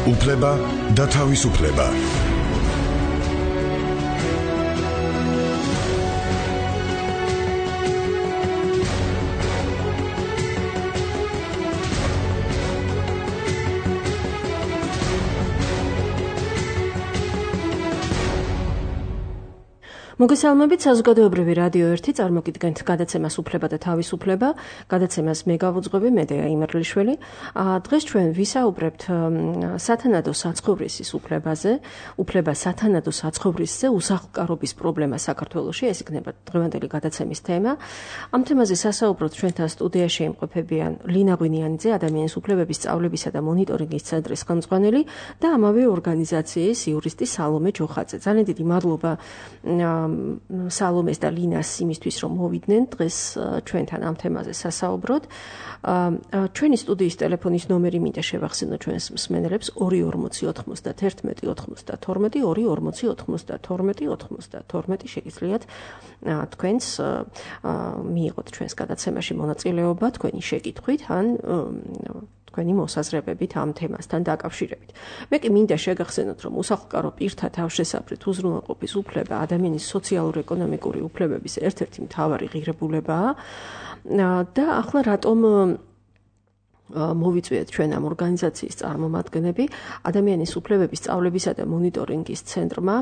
უფლება და თავისუფლება. მოგესალმებით, საზოგადოებრივი რადიო 1 წარმოგიდგენთ გადაცემას უფლება და თავისუფლება. გადაცემას მე გავუძღვები, მე დეა იმერლიშვილი. დღეს ჩვენ ვისაუბრებთ სათანადო საცხოვრისის უფლებაზე, უფლება სათანადო საცხოვრისზე, უსახლკარობის პრობლემა საქართველოში, ეს იქნება დღევანდელი გადაცემის თემა. ამ თემაზე სასაუბროთ ჩვენთან სტუდიაში იმყოფებიან ლინა ღვინიანიძე, ადამიანის უფლებების სწავლებისა და მონიტორინგის ცენტრის ხელმძღვანელი და ამავე ორგანიზაციის იურისტი სალომე ჯოხაძე. ძალიან დიდი მადლობა სალომეს და ლინას იმისთვის, რომ მოვიდნენ დღეს ჩვენთან ამ თემაზე სასაუბროთ. ჩვენი სტუდიის ტელეფონის ნომერი მინდა შევახსენო ჩვენს მსმენელებს 2409192 24092 შეგიძლიათ თქვენს მიიღოთ ჩვენს გადაცემაში მონაწილეობა თქვენი შეკითხვით ან თქვენი მოსაზრებებით ამ თემასთან დაკავშირებით. მე კი მინდა შეგახსენოთ, რომ უსახლკარო პირთა თავშესაფრით უზრუნველყოფის უფლება ადამიანის სოციალურ-ეკონომიკური უფლებების ერთ-ერთი მთავარი ღირებულებაა და ახლა რატომ მოვიწვიეთ ჩვენ ამ ორგანიზაციის წარმომადგენლები. ადამიანის უფლებების სწავლებისა და მონიტორინგის ცენტრმა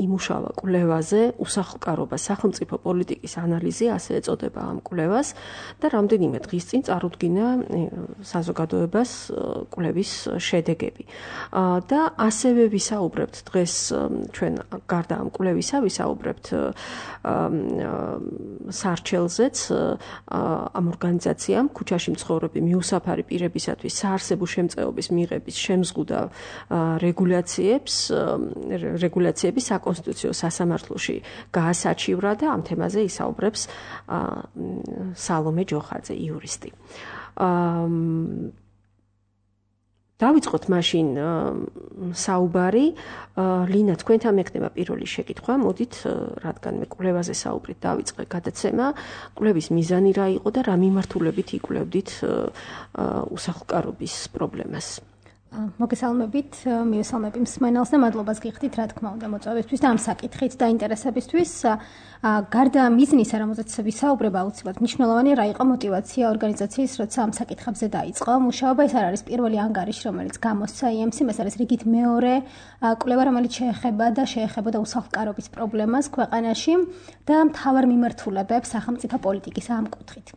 იმუშავა კვლევაზე უსახლკარობა სახელმწიფო პოლიტიკის ანალიზი, ასე ეწოდება ამ კვლევას და რამდენიმე დღის წინ წარუდგინა საზოგადოებას კვლევის შედეგები. და ასევე ვისაუბრებთ დღეს ჩვენ გარდა ამ კვლევისა, ვისაუბრებთ სარჩელზეც ამ ორგანიზაციამ ქუჩაში მცხოვრები მიუსაფარი პირებისათვის საარსებო შემწეობის მიღების შემზღუდავ რეგულაციების საკონსტიტუციო სასამართლოში გაასაჩივრა და ამ თემაზე ისაუბრებს სალომე ჯოხაძე, იურისტი. დავიწყოთ მაშინ საუბარი. ლინა, თქვენთან მექნება პირველი შეკითხვა. მოდით, რადგან მე კვლევაზე საუბრით დავიწყე გადაცემა, კვლევის მიზანი რა იყო და რა მიმართულებით იკვლევდით უსახლკარობის პრობლემას? მოგესალმებით, მივესალმები მსმენელს და მადლობას გიხდით, რა თქმა უნდა, მოწვევისთვის და ამ საკითხით და ინტერესებისთვის. გარდა მიზნისა, რომელზეც ვისაუბრება, აუცილებლად მნიშვნელოვანი რა იყო мотиваცია ორგანიზაციის, როცა ამ საკითხებზე დაიწყო მუშაობა. ეს არ არის პირველი ანგარიში, რომელიც გამოსცა IMC-მ, ეს არის რიგით მეორე კვლევა, რომელიც შეეხებოდა უსახლკარობის პრობლემას ქვეყანაში და მთავარ მიმართულებებს სახელმწიფო პოლიტიკის ამ კუთხით.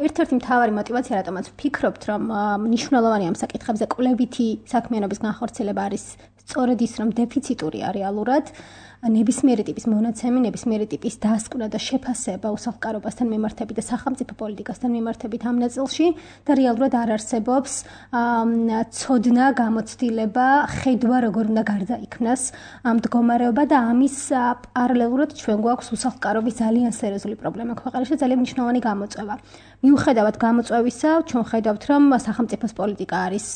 ერთ-ერთი მთავარი мотиваცია, რატომაც ვფიქრობთ, რომ მნიშვნელოვანი ამ საკითხებზე კვლევითი საქმიანობის განხორციელება არის სწორედ ის, რომ დეფიციტურია რეალურად ნებისმიერი ტიპის მონაცემი, ნებისმიერი ტიპის დასკვნა და შეფასება უსახლკარობასთან მიმართებით და სახელმწიფო პოლიტიკასთან მიმართებით ამ ნაწილში და რეალურად არ არსებობს ცოდნა, გამოცდილება, ხედვა, როგორ უნდა გარდაიქმნას მდგომარეობა და ამის პარალელურად ჩვენ გვაქვს უსახლკარობის ძალიან სერიოზული პრობლემა ქვეყანაში და ძალიან მნიშვნელოვანი გამოწვევა. მიუხედავად გამოწვევისა, ჩვენ ხედავთ, რომ სახელმწიფოს პოლიტიკა არის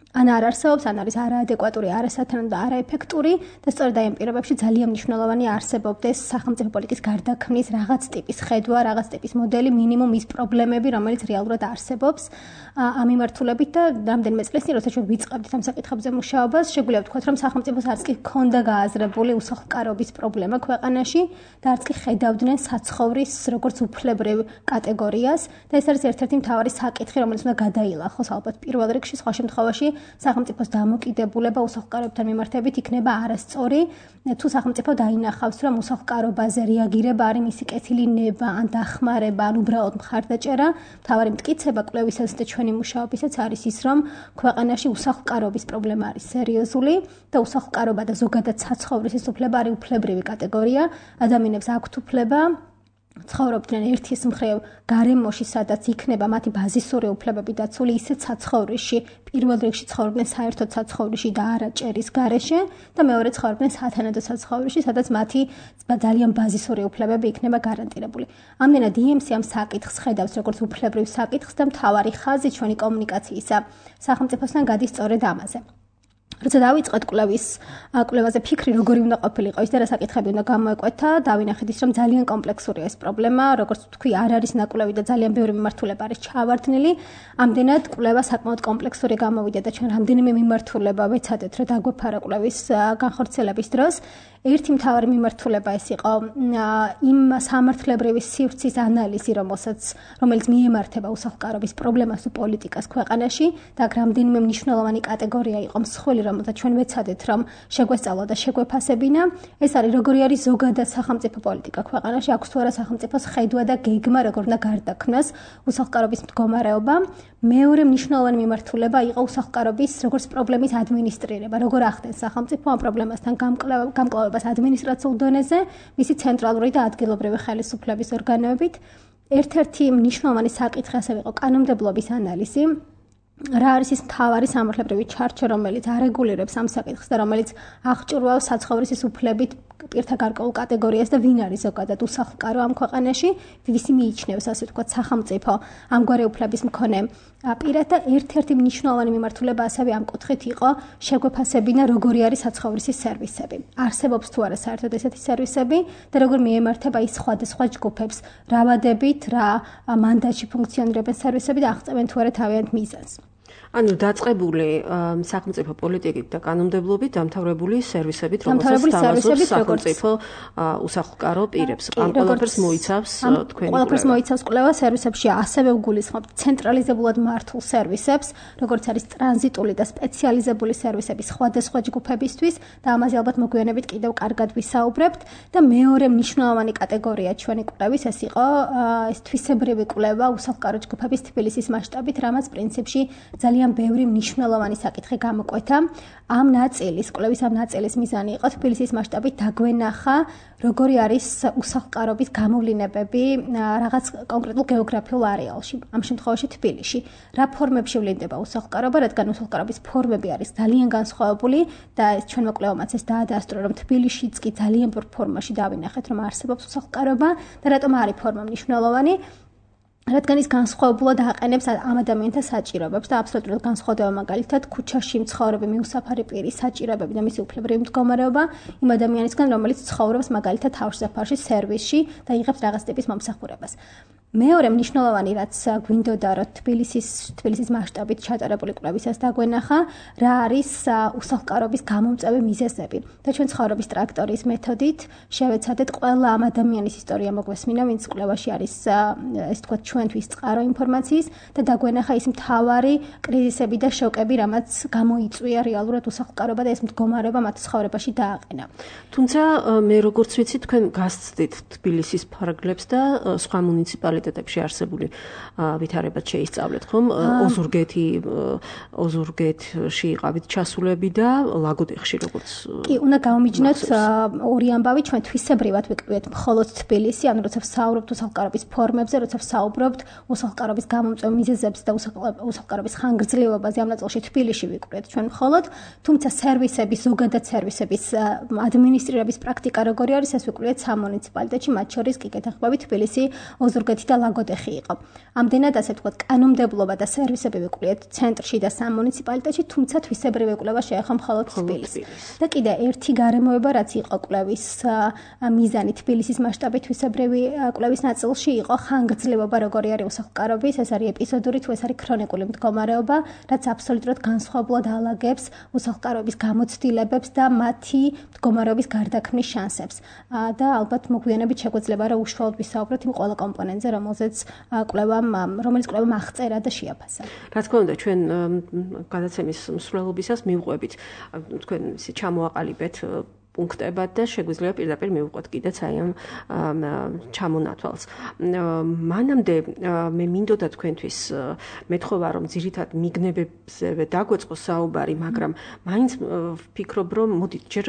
ან არ არსებობს, ან არის არაადეკვატური, არასათანადო და არაეფექტური და სწორედ აი ამ პირობებში ძალიან მნიშვნელოვანი არსებობდეს სახელმწიფო პოლიტიკის გარდაქმნის რაღაც ტიპის ხედვა, რაღაც ტიპის მოდელი, მინიმუმ ის პრობლემები, რომელიც რეალურად არსებობს ამ მიმართულებით და რამდენიმე წლის წინ, როცა ჩვენ ვიწყებდით ამ საკითხებზე მუშაობას, შეგვიძლია ვთქვათ, რომ სახელმწიფოს არც კი ჰქონდა გააზრებული უსახლკარობის პრობლემა ქვეყანაში და არც კი ხედავდნენ საცხოვრის როგორც უფლებრივ კატეგორიას და ეს არის ერთ-ერთი მთავარი საკითხი, რომელიც უნდა გადაილახოს ალბათ პირველ რიგში, სხვა შემთხვევაში სახელმწიფოს დამოკიდებულება უსახლკარობთან მიმართებით იქნება არასწორი, თუ სახელმწიფო დაინახავს, რომ უსახლკარობაზე რეაგირება არის მისი კეთილი ნება, ან დახმარება, ან უბრალოდ მხარდაჭერა. მთავარი მტკიცება კვლევისას და ჩვენი მუშაობისაც არის ის, რომ ქვეყანაში უსახლკარობის პრობლემა არის სერიოზული და უსახლკარობა და ზოგადად საცხოვრისის უფლება არის უფლებრივი კატეგორია. ადამიანებს აქვთ უფლება ცხოვრობდნენ ერთის მხრივ გარემოში, სადაც იქნება მათი ბაზისური უფლებები დაცული, ისეთ საცხოვრისში, პირველ რიგში ცხოვრობდნენ საერთოდ საცხოვრისში და არა ჭერის გარეშე და მეორე ცხოვრობდნენ სათანადო საცხოვრისში, სადაც მათი ძალიან ბაზისური უფლებები იქნება გარანტირებული. ამდენად IMC ამ საკითხს ხედავს როგორც უფლებრივ საკითხს და მთავარი ხაზი ჩვენი კომუნიკაციისა სახელმწიფოსთან გადის სწორედ ამაზე. როცა დავიწყეთ კვლევაზე ფიქრი როგორი უნდა ყოფილიყო ის და რა საკითხები უნდა გამოეკვეთა, დავინახეთ ის რომ ძალიან კომპლექსურია ეს პრობლემა, როგორც თქვი, არ არის ნაკვლევი და ძალიან ბევრი მიმართულება არის ჩავარდნილი. ამდენად კვლევა საკმაოდ კომპლექსური გამოვიდა და ჩვენ რამდენიმე მიმართულება ვეცადეთ რომ დაგვეფარა კვლევის განხორციელების დროს. ერთი მთავარი მიმართულება ეს იყო იმ სამართლებრივი სივრცის ანალიზი, რომელიც მიემართება უსახლკარობის პრობლემას თუ პოლიტიკას ქვეყანაში და აქ რამდენიმე მნიშვნელოვანი კატეგორია იყო მსხვილი, რომელთა ჩვენ ვეცადეთ რომ შეგვესწავლა და შეგვეფასებინა. ეს არის როგორი არის ზოგადად სახელმწიფო პოლიტიკა ქვეყანაში, აქვს თუ არა სახელმწიფოს ხედვა და გეგმა, როგორ უნდა გარდაქმნას უსახლკარობის მდგომარეობა. მეორე მნიშვნელოვანი მიმართულება იყო უსახლკარობის როგორც პრობლემის ადმინისტრირება, როგორ ახდენს სახელმწიფო ამ პრობლემასთან გამკლავებას ადმინისტრაციულ დონეზე, მისი ცენტრალური და ადგილობრივი ხელისუფლების ორგანოებით. ერთ-ერთი მნიშვნელოვანი საკითხი ასევე იყო კანონმდებლობის ანალიზი. რა არის ის მთავარი სამართლებრივი ჩარჩო, რომელიც არეგულირებს ამ საკითხს და რომელიც აღჭურვავს საცხოვრისის უფლებით პირთა გარკვეულ კატეგორიას და ვინ არის ზოგადად უსახლკარო ამ ქვეყანაში, ვისი მიიჩნევს ასე ვთქვათ სახელმწიფო ამგვარი უფლების მქონე პირად და ერთ-ერთი მნიშვნელოვანი მიმართულება ასევე ამ კუთხით იყო შეგვეფასებინა როგორი არის საცხოვრისის სერვისები. არსებობს თუ არა საერთოდ ესეთი სერვისები და როგორ მიემართება ის სხვადასხვა ჯგუფებს, რა ვადებით, რა მანდატში ფუნქციონირებენ სერვისები და აღწევენ თუ არა თავიანთ მიზანს. ანუ დაწყებული სახელმწიფო პოლიტიკით და კანონმდებლობით დამთავრებული სერვისებით, რომელსაც თავაზობს სახელმწიფო უსახლკარო პირებს. ამ ყველაფერს მოიცავს თქვენი კვლევა. ყველაფერს მოიცავს კვლევა სერვისებში, ასევე უგულისხმობთ ცენტრალიზებულად მართულ სერვისებს, როგორც არის ტრანზიტული და სპეციალიზებული სერვისები სხვადასხვა ჯგუფებისთვის და ამაზე ალბათ მოგვიანებით კიდევ კარგად ვისაუბრებთ და მეორე მნიშვნელოვანი კატეგორია ჩვენი კვლევის ეს იყო ეს თვისებრივი კვლევა უსახლკარო ჯგუფების თბილისის მასშტაბით, რამაც პრინციპში ძალიან ბევრი მნიშვნელოვანი საკითხი გამოკვეთა. ამ კვლევის ამ ნაწილის მიზანი იყო თბილისის მასშტაბით დაგვენახა, როგორი არის უსახლკარობის გამოვლინებები რაღაც კონკრეტულ გეოგრაფიულ არეალში, ამ შემთხვევაში თბილისში. რა ფორმებში ვლინდება უსახლკარობა, რადგან უსახლკარობის ფორმები არის ძალიან განსხვავებული და ჩვენმა კვლევამაც ეს დაადასტურა, რომ თბილისშიც კი ძალიან ბევრ ფორმაში დავინახეთ, რომ არსებობს უსახლკარობა და რატომ არის ფორმა მნიშვნელოვანი. რადგან ის განსხვავებულად აყენებს ამ ადამიანთა საჭიროებებს და აბსოლუტურად განსხვავდება მაგალითად ქუჩაში მცხოვრები მიუსაფარი პირის საჭიროებები და მისი უფლებრივი მდგომარეობა იმ ადამიანისგან, რომელიც ცხოვრობს მაგალითად თავშესაფარში, სერვისში და იღებს რაღაც ტიპის მომსახურებას. მეორე მნიშვნელოვანი, რაც გვინდოდა რომ თბილისის მასშტაბით ჩატარებული კვლევისას დაგვენახა, რა არის უსახლკარობის გამომწვევი მიზეზები. და ჩვენ ცხოვრების ტრაქტორიის მეთოდით შევეცადეთ ყველა ამ ადამიანის ისტორია მოგვესმინა, ვინც კვლევაში არის ეს თქვა ჩვენთვის წყარო ინფორმაციის და დაგვენახა ის მთავარი კრიზისები და შოკები, რამაც გამოიწვია რეალურად უსახლკარობა და ეს მდგომარეობა მათ ცხოვრებაში დააყენა. თუმცა მე როგორც ვიცი, თქვენ გასცდით თბილისის ფარგლებს და სხვა მუნიციპალიტეტებში არსებული ვითარებად შეისწავლეთ, ხომ? ოზურგეთში იყავით ჩასულები და ლაგოდეხში როგორც კი, უნდა გავმიჯნოთ ორი ამბავი, ჩვენ თვისებრივად ვიკვლევთ მხოლოდ თბილისი, ანუ როცა ვსაუბრობთ უსახლკარობის ფორმებზე, როცა ვსაუბრობთ უსახლკარობის გამომწვევ მიზეზებზე და უსახლკარობის ხანგრძლივობაზე, ამ ნაწილში თბილისში ვიკვლევთ ჩვენ მხოლოდ, თუმცა სერვისების, ზოგადად სერვისების ადმინისტრირების პრაქტიკა როგორი არის, ეს ვიკვლევთ სამ მუნიციპალიტეტში, მათ შორის კი კეთახმები თბილისი, ოზურგეთი და ლაგოდეხი იყო. ამდენად ასე ვთქვათ, კანონმდებლობა და სერვისები ვიკვლევთ ცენტრში და სამ მუნიციპალიტეტში, თუმცა თვისებრივი კვლევა შეეხო მხოლოდ თბილისს. და კიდე ერთი გარემოება, რაც იყო კვლევის მიზანი თბილისის მასშტაბით თვისებრივი კვლევის ნაწილში იყო ხანგრძლივობა, როგორი არის უსახლკარობის, ეს არის ეპიზოდური თუ ეს არის ქრონიკული მდგომარეობა, რაც აბსოლუტურად განსხვავებულად ალაგებს უსახლკარობის გამოცდილებებს და მათი მდგომარეობის გარდაქმნის შანსებს. და ალბათ მოგვიანებით შეგვეძლება რა უშუალოდ ვისაუბროთ იმ ყველა კომპონენტზე, რომელიც კვლევამ აღწერა და შეაფასა. რა თქმა უნდა, ჩვენ გადაცემის მსვლელობისას მივყვებით, თქვენ ისე ჩამოაყალიბეთ პუნქტებად და შეგვიძლია პირდაპირ მივყვეთ კიდეც აი ამ ჩამონათვალს. მანამდე მე მინდოდა თქვენთვის მეთხოვა, რომ ძირითად მიგნებებზე დაგვეწყო საუბარი, მაგრამ მაინც ვფიქრობ, რომ მოდით ჯერ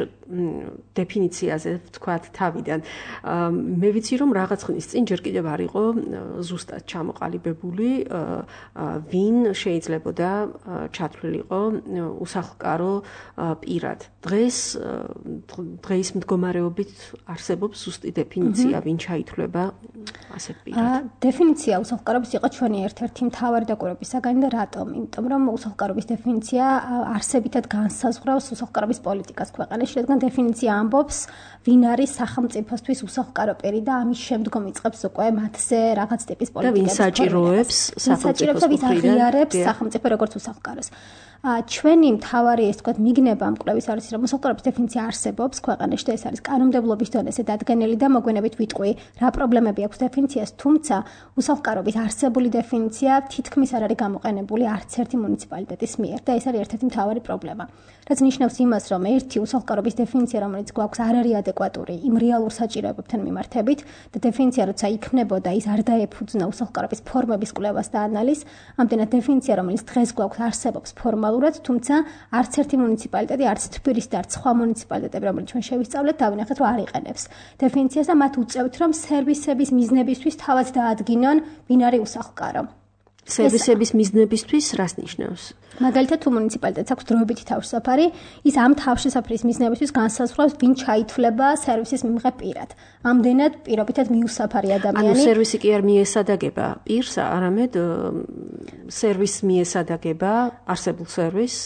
დეფინიციაზე ვთქვათ თავიდან. მე ვიცი, რომ რაღაც ხნის წინ ჯერ კიდევ არ იყო ზუსტად ჩამოყალიბებული, ვინ შეიძლებოდა ჩათვლილიყო უსახლკარო პირად. დღეს დღეის მდგომარეობით არსებობს ზუსტი დეფინიცია, ვინ ჩაითვლება ასეთ პირად? დეფინიცია უსახლკარობის იყო ჩვენი ერთ-ერთი მთავარი დაკვირვების საგანი და რატომ? იმიტომ რომ უსახლკარობის დეფინიცია არსებითად განსაზღვრავს უსახლკარობის პოლიტიკას ქვეყანაში, რადგან დეფინიცია ამბობს, ვინ არის სახელმწიფოსთვის უსახლკარო პირი და ამის შემდგომ იწყებს უკვე მათზე რაღაც ტიპის პოლიტიკას. და ვინ საჭიროებს სახელმწიფოს ვის აღიარებს სახელმწიფო როგორც უსახლკაროს. ჩვენი მთავარი ეს თქვა მიგნება ამ კვლევის არის რომ უსახლკარობის დეფინიცია არსებობს ქვეყანაში და ეს არის კანონმდებლობის დონეზე დადგენილი და მოგვიანებით ვიტყვი რა პრობლემები აქვს დეფინიციას, თუმცა უსახლკარობის არსებული დეფინიცია თითქმის არ არის გამოყენებული არც ერთი მუნიციპალიტეტის მიერ და ეს არის ერთ-ერთი მთავარი პრობლემა. რაც ნიშნავს იმას, რომ ერთი უსახლკარობის დეფინიცია, რომელიც გვაქვს, არ არის ადეკვატური იმ რეალურ საჭიროებებთან მიმართებით და დეფინიცია, როცა იქნებოდა, ის არ დაეფუძნა უსახლკარობის ფორმების კვლევას და ანალიზს. ამდენად დეფინიცია, რომელიც დღეს გვაქვს, არსებობს ფორმალურად, თუმცა არც ერთი მუნიციპალიტეტი, არც თბილისი და არც სხვა მუნიციპალიტეტები, რომელიც ჩვენ შევისწავლეთ, დავინახეთ, რომ არ იყენებს დეფინიციას და მათ უწევთ, რომ სერვისების მიზნებისთვის თავად დაადგინონ, ვინ არის უსახლკარო. სერვისების მიზნებისთვის რას ნიშნავს? მაგალითად, თუ მუნიციპალიტეტს აქვს დროებითი თავშესაფარი, ის ამ თავშესაფრის მიზნებისთვის განსაზღვრავს, ვინ ჩაითვლება სერვისის მიმღებ პირად. ამდენად პირობითად მიუსაფარი ადამიანი. ანუ სერვისი კი არ მიესადაგება პირს, არამედ სერვისს მიესადაგება არსებულ სერვისს.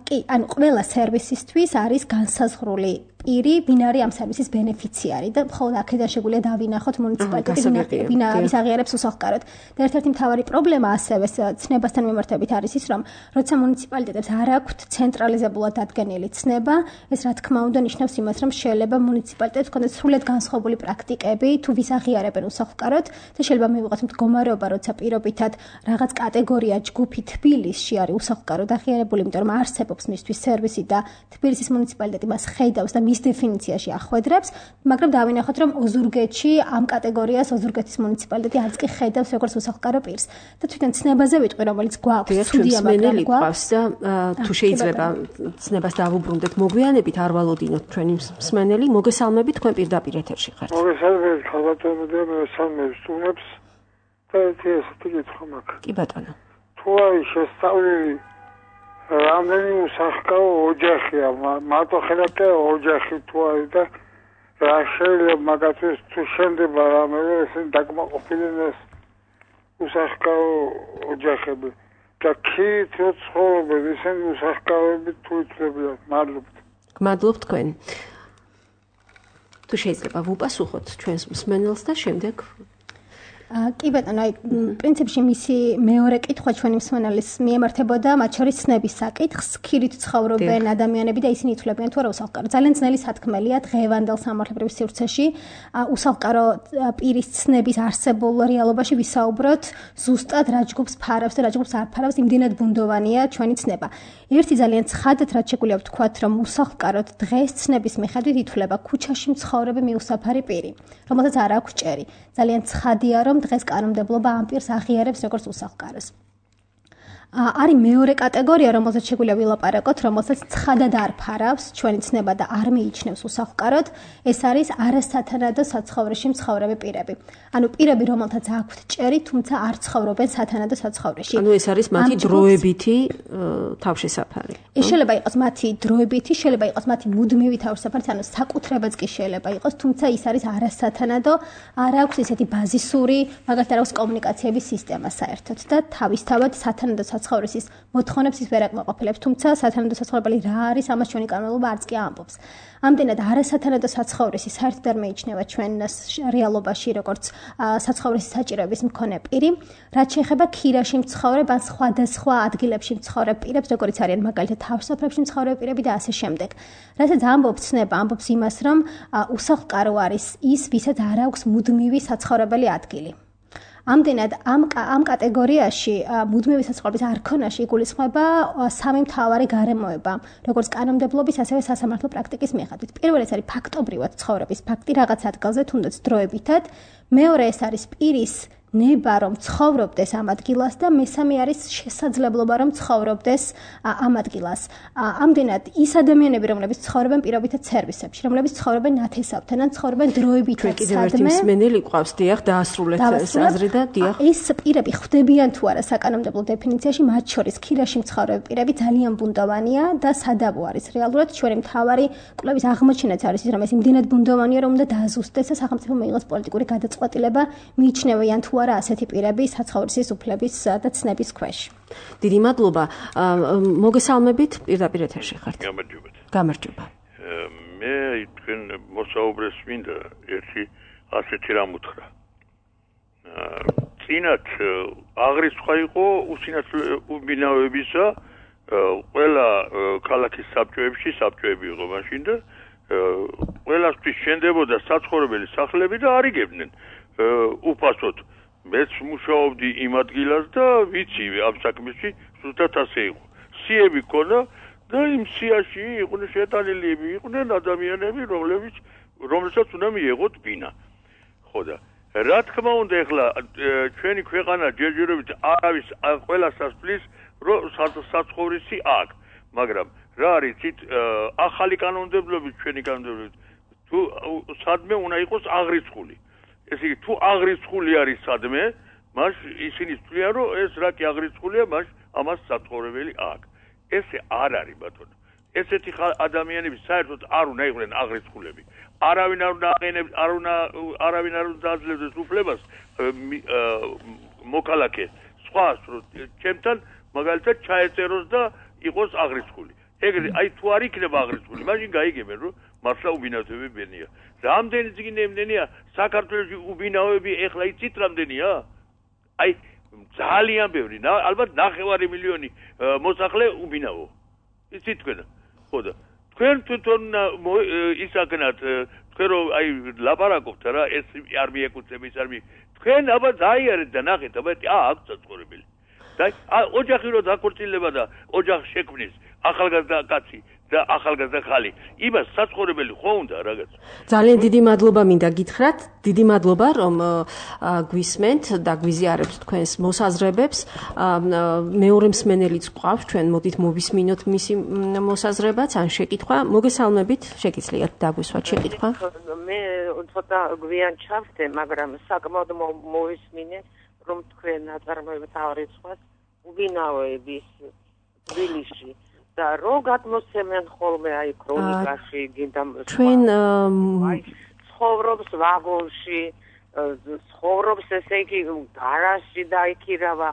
კი, ანუ ყველა სერვისისთვის არის განსაზღვრული პირი, ვინ არის ამ სერვისის ბენეფიციარი და მხოლოდ აქედან შეგვიძლია დავინახოთ მუნიციპალიტეტი, ვინ აღიარებს უსახლკაროდ. და ერთ-ერთი მთავარი პრობლემა ასევე ცნებასთან მიმართებით არის ის, რომ როცა მუნიციპალიტეტებს არ აქვთ ცენტრალიზებულად დადგენილი ცნება, ეს რა თქმა უნდა ნიშნავს იმას, რომ შეიძლება მუნიციპალიტეტებს ჰქონდეს სრულად განსხვავებული პრაქტიკები, თუ ვის აღიარებენ უსახლკაროდ და შეიძლება მივიღოთ მდგომარეობა, როცა პირობითად რაღაც კატეგორია ჯგუფი თბილისში არის უსახლკაროდ აღიარებული, იმიტომ რომ არსებობს მისთვის სერვისი და თბილისის მუნიციპალიტეტი მას ხედავს და მის დეფინიციაში ახვედრებს, მაგრამ დავინახოთ, რომ ოზურგეთში ამ კატეგორიას ოზურგეთის მუნიციპალიტეტი არც კი ხედავს როგორც უსახლკარო პირს. და თვითონ ცნებაზე ვიტყვი, რომელიც გვაქვს, სტუდია მაგრამ გვაქვს და თუ შეიძლება ცნებას დავუბრუნდეთ მოგვიანებით, არ ვალოდინოთ ჩვენი მსმენელი, მოგესალმებით, თქვენ პირდაპირ ეთერში ხართ. მოგესალმებით, ხალხატონო და მესალმებს სტუმრებს და ესეთი კითხვა მაქვს. კი ბატონო. თუ არის შესწავლილი რამდენი უსახლკარო ოჯახია, მარტო ხელაკე ოჯახი თუ არის და რა შეიძლება მაგათთვის თუ შენდება რამე ესენი დაკმაყოფილდნენ ეს უსახლკარო ოჯახები და ქით რო ცხოვრობენ ესენი უსux თუ ითვლებიან. გმადლობ თქვენ. თუ შეიძლება ვუპასუხოთ ჩვენს მსმენელს და შემდეგ კი ბატონო, პრინციპში მისი მეორე კითხვა ჩვენი მსმენელის მიემართებოდა მათ შორის ცნების საკითხს, ქირით ცხოვრობენ ადამიანები და ისინი ითვლებიან თუ არა უსახლკარო. ძალიან ძნელი სათქმელია დღევანდელ სამართლებრივ სივრცეში უსახლკარო პირის ცნების არსებულ რეალობაში ვისაუბროთ ზუსტად რა ჯგუფს ფარავს და რა ჯგუფს არ ფარავს, იმდენად ბუნდოვანია ჩვენი ცნება. ერთი ძალიან ცხადად რაც შეგვიძლია ვთქვათ, რომ უსახლკაროდ დღეს ცნების მიხედვით ითვლება ქუჩაში მცხოვრები მიუსაფარი პირი, რომელსაც არ აქვს ჭერი. ძალიან ცხადია, რომ დღეს კანონმდებლობა ამ პირს აღიარებს როგორც უსახლკაროს. არის მეორე კატეგორია, რომელზეც შეგვიძლია ვილაპარაკოთ, რომელსაც ცხადად არ ფარავს ჩვენი ცნება და არ მიიჩნევს უსახლკაროდ, ეს არის არასათანადო საცხოვრეში მცხოვრები პირები. ანუ პირები, რომელთაც აქვთ ჭერი, თუმცა არ ცხოვრობენ სათანადო საცხოვრეში. ანუ ეს არის მათი დროებითი თავშესაფარი. ეს შეიძლება იყოს მათი დროებითი, შეიძლება იყოს მათი მუდმივი თავშესაფარი, ანუ საკუთრებაც კი შეიძლება იყოს, თუმცა ის არის არასათანადო, არ აქვს ესეთი ბაზისური, მაგალითად არ აქვს კომუნიკაციების სისტემა საერთოდ და თავისთავად სათანადო საცხოვრისის მოთხოვნებს ის ვერ აკმაყოფილებს, თუმცა სათანადო საცხოვრებელი რა არის, ამას ჩვენი კანონმდებლობა არც კი ამბობს. ამდენად არასათანადო საცხოვრისი საერთოდ არ მეიჩნევა ჩვენ რეალობაში როგორც საცხოვრისის საჭიროების მქონე პირი, რაც შეეხება ქირაში მცხოვრებ ან სხვადასხვა ადგილებში მცხოვრებ პირებს, როგორც არიან მაგალითად თავშესაფრებში მცხოვრები პირები და ასე შემდეგ. რასაც ამბობს ცნება, ამბობს იმას, რომ უსახლკარო არის ის, ვისაც არ აქვს მუდმივი საცხოვრებელი ადგილი. ამდენად ამ კატეგორიაში მუდმივი საცხოვრების არქონაში იგულისხმება სამი მთავარი გარემოება, როგორც კანონმდებლობის, ასევე სასამართლო პრაქტიკის მიხედვით. პირველი ეს არის ფაქტობრივად ცხოვრების ფაქტი რაღაც ადგილზე, თუნდაც დროებითად. მეორე ეს არის პირის ნება რომ ცხოვრობდეს ამ ადგილას და მესამე არის შესაძლებლობა რომ ცხოვრობდეს ამ ადგილას. ამდენად ის ადამიანები რომლებიც ცხოვრობენ პირობითად სერვისებში, რომლებიც ცხოვრობენ ნათესავთან ან ცხოვრობენ დროებითად სადმე. მსმენელი ყავს, დიახ, დაასრულეთ ეს აზრი და დიახ. ეს პირები ხვდებიან თუ არა საკანონმდებლო დეფინიციაში, მათ შორის ქირაში მცხოვრები პირები ძალიან ბუნდოვანია და სადავო არის რეალურად ჩვენი მთავარი კვლევის აღმოჩენაც არის ის რომ ეს იმდენად ბუნდოვანია რომ უნდა დააზუსტდეს და სახელმწიფო მიიღოს პოლიტიკური გადაწყვეტილება მიიჩნევიან თუ არა ასეთი პირები საცხოვრისის უფლების და ცნების ქვეშ. დიდი მადლობა. მოგესალმებით, პირდაპირ ეთერში ხართ. გამარჯობა. მე თქვენ მოსაუბრეს მინდა ერთი ასეთი რამ უთხრა. წინათ აღრიცხვა იყო უსინათლობებისა ყველა ქალაქის საბჭოები იყო მაშინ და ყველასთვის შენდებოდა საცხოვრებელი სახლები და არიგებდნენ უფასოდ. მეც მუშაობდი იმ ადგილას და ვიცი ამ საქმეში ზუსტად ასე იყო. სიები ქონა და იმ სიაში იყვნენ შეტანილები, იყვნენ ადამიანები, რომლებსაც უნდა მიეღოთ ბინა. ხო და რა თქმა უნდა ეხლა ჩვენი ქვეყანა ჯერჯერობით არავის ყველასას ფლის რომ საცხოვრისი აქ, მაგრამ რა არის იცით ახალი კანონმდებლობით ჩვენი კანონმდებლობით თუ სადმე უნდა იყოს აღრიცხული. ესე იგი თუ აღრიცხული არის სადმე, მას ისინი თვლიან რომ ეს რა კი აღრიცხულია, მას ამას საცხოვრებელი აქ. ესე არ არის ბატონო. ესეთი ადამიანები საერთოდ არ უნდა იყვნენ აღრიცხულები. არავინ არ უნდა აყენებს, არავინ არ უნდა აძლევდეს უფლებას მოკალაკეს სხვას რომ ჩემთან მაგალითად ჩაეწეროს და იყოს აღრიცხული. ეგრე აი თუ არ იქნება აღრიცხული, მაშინ გაიგებენ რომ მართლა უბინავები ბენია. რამდენი წიგნებია საქართველოში უბინავები ეხლა იცით რამდენია? აი ძალიან ბევრი, ალბათ 9 მილიონი მოსახლე ubinavo. იცით თქვენ? ხო და თქვენ თვითონ ისაკნათ თქვენ რომ აი ლაპარაკობთ რა ეს არ მიეკუთვნება ის არ თქვენ აბა დაიარეთ და ნახეთ აბა აქ საცხოვრებელი. და ოჯახი რო დაქორწილება და ოჯახს შექმნის ახალგაზრდა კაცი და ახალგაზრდა ხალი. იმას საცხოვრებელი ხო უნდა რაღაც. ძალიან დიდი მადლობა მინდა გითხრათ. დიდი მადლობა რომ გვისმენთ და გვიზიარებთ თქვენს მოსაზრებებს. მეორე მსმენელიც გვყავს, ჩვენ მოდით მოვისმინოთ მისი მოსაზრებაც ან შეკითხვა. მოგესალმებით, შეგიძლიათ დაგვისვათ შეკითხვა. მე ცოტა გვიან ჩავხდე, მაგრამ საკმაოდ მოვისმინე რომ თქვენ აწარმოებთ აღრიცხვას ubinavoების თბილისში. და რო გადმოსცემენ ხოლმე აი ქრონიკაში გინდა ჩვენ ცხოვრობს ვაგონში ცხოვრობს ესე იგი გარაჟში დაიქირავა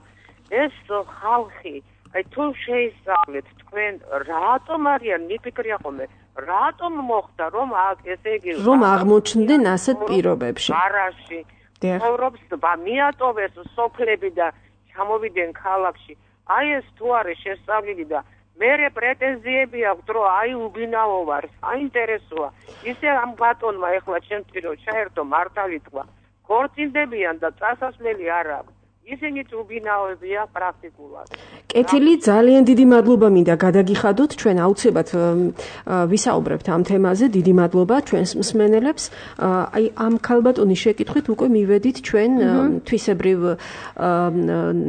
ეს ხალხი აი თუ შეისწავლეთ თქვენ რატომ არიან მიფიქრია ხოლმე რატომ მოხდა რომ ესე იგი რომ აღმოჩნდნენ ასეთ პირობებში გარაჟში ცხოვრობს მიატოვეს სოფლები და ჩამოვიდნენ ქალაქში აი ეს თუ არის შესწავლილი და მერე პრეტენზიები აქვს რომ აი უბინავო ვარ საინტერესოა ისე ამ ბატონმა ეხლა ჩემთვის რომ ჩაერთო მართალი თქვა ქორწინდებიან და წასასვლელი არ აქვს ისინიც უბინავებია პრაქტიკულად კეთილი ძალიან დიდი მადლობა მინდა გადაგიხადოთ ჩვენ აუცილებლად ვისაუბრებთ ამ თემაზე დიდი მადლობა ჩვენს მსმენელებს აი ამ ქალბატონის შეკითხვით უკვე მივედით ჩვენ თვისებრივ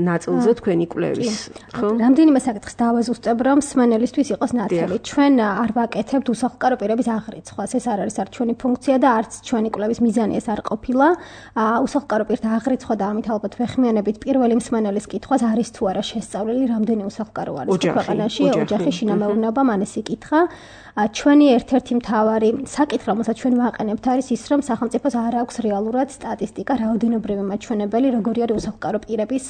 ნაწილზე თქვენი კვლევის ხო რამდენიმე საკითხს დავაზუსტებ რომ მსმენელისთვის იყოს ნათელი ჩვენ არ ვაკეთებთ უსახლკარო პირების აღრიცხვას ეს არ არის არც ჩვენი ფუნქცია და არც ჩვენი კვლევის მიზანი ეს არ ყოფილა უსახლკარო პირთა აღრიცხვა და ამით ალბათ ვეხმიანებით პირველი მსმენელის კითხვას არის თუ არა შესწავლილი რამდენი უსახლკარო არის ქვეყანაში ოჯახი შინამეურნეობა მან ეს იკითხა ჩვენი ერთ-ერთი მთავარი საკითხი რომელსაც ჩვენ ვაყენებთ არის ის რომ სახელმწიფოს არ აქვს რეალურად სტატისტიკა რაოდენობრივი მაჩვენებელი როგორი არის უსახლკარო პირების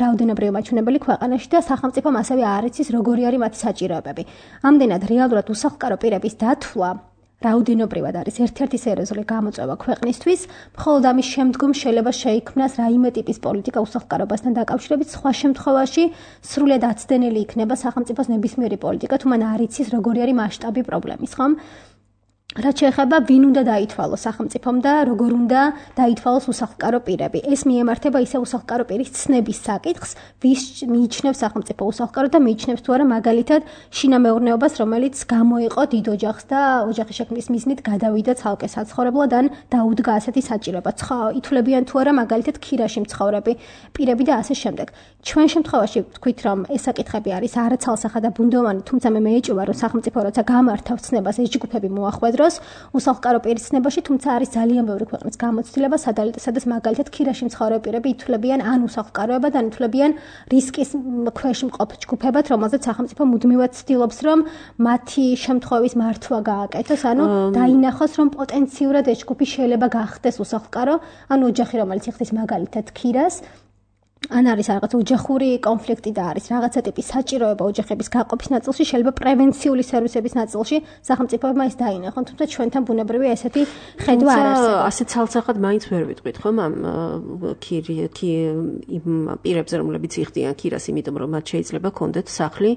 რაოდენობრივი მაჩვენებელი ქვეყანაში და სახელმწიფომ ასევე არ იცის როგორი არის მათი საჭიროებები ამდენად რეალურად უსახლკარო პირების დათვლა რაოდენობრივად არის ერთ-ერთი სერიოზული გამოწვევა ქვეყნისთვის, მხოლოდ ამის შემდგომ შეიძლება შეიქმნას რაიმე ტიპის პოლიტიკა უსახლკარობასთან დაკავშირებით, სხვა შემთხვევაში სრულად აცდენილი იქნება სახელმწიფოს ნებისმიერი პოლიტიკა, თუ მან არ იცის როგორი არის მასშტაბი პრობლემის, ხომ? რაც შეეხება ვინ უნდა დაითვალოს სახელმწიფომ და როგორ უნდა დაითვალოს უსახლკარო პირები. ეს მიემართება ისე უსახლკარო პირის ცნების საკითხს, ვის მიიჩნევს სახელმწიფო უსახლკარო და მიიჩნევს თუ არა მაგალითად შინამეურნეობას, რომელიც გამოიყო დიდ ოჯახს და ოჯახის შექმნის მიზნით გადავიდა ცალკე საცხოვრებლად ან დაუდგა ასეთი საჭიროება. ითვლებიან თუ არა მაგალითად ქირაში მცხოვრები პირები და ასე შემდეგ. ჩვენ შემთხვევაში ვთქვით, რომ ეს საკითხები არის არაცალსახა და ბუნდოვანი, თუმცა მე მეეჭვება, რომ სახელმწიფო როცა გამართავს ცნებას ეს ჯგუფები მოახვედროს უსახლკარო პირის ცნებაში, თუმცა არის ძალიან ბევრი ქვეყნის გამოცდილება, სადაც მაგალითად ქირაში მცხოვრები პირები ითვლებიან ან უსახლკაროებად, ან ითვლებიან რისკის ქვეშ მყოფ ჯგუფებად, რომელზეც სახელმწიფო მუდმივად ცდილობს, რომ მათი შემთხვევის მართვა გააკეთოს, ანუ დაინახოს, რომ პოტენციურად ეს ჯგუფი შეიძლება გახდეს უსახლკარო, ანუ ოჯახი, რომელიც იხდის მაგალითად ქირას, ან არის რაღაც ოჯახური კონფლიქტი და არის რაღაცა ტიპის საჭიროება ოჯახების გაყოფის ნაწილში, შეიძლება პრევენციული სერვისების ნაწილში სახელმწიფოებმა ეს დაინახონ, თუმცა ჩვენთან ბუნებრივია ესეთი ხედვა არ არსებობს. ასე ცალსახად მაინც ვერ ვიტყვით, ხომ, ამ პირებზე, რომლებიც იხდიან ქირას, იმიტომ რომ მათ შეიძლება კონდეთ სახლი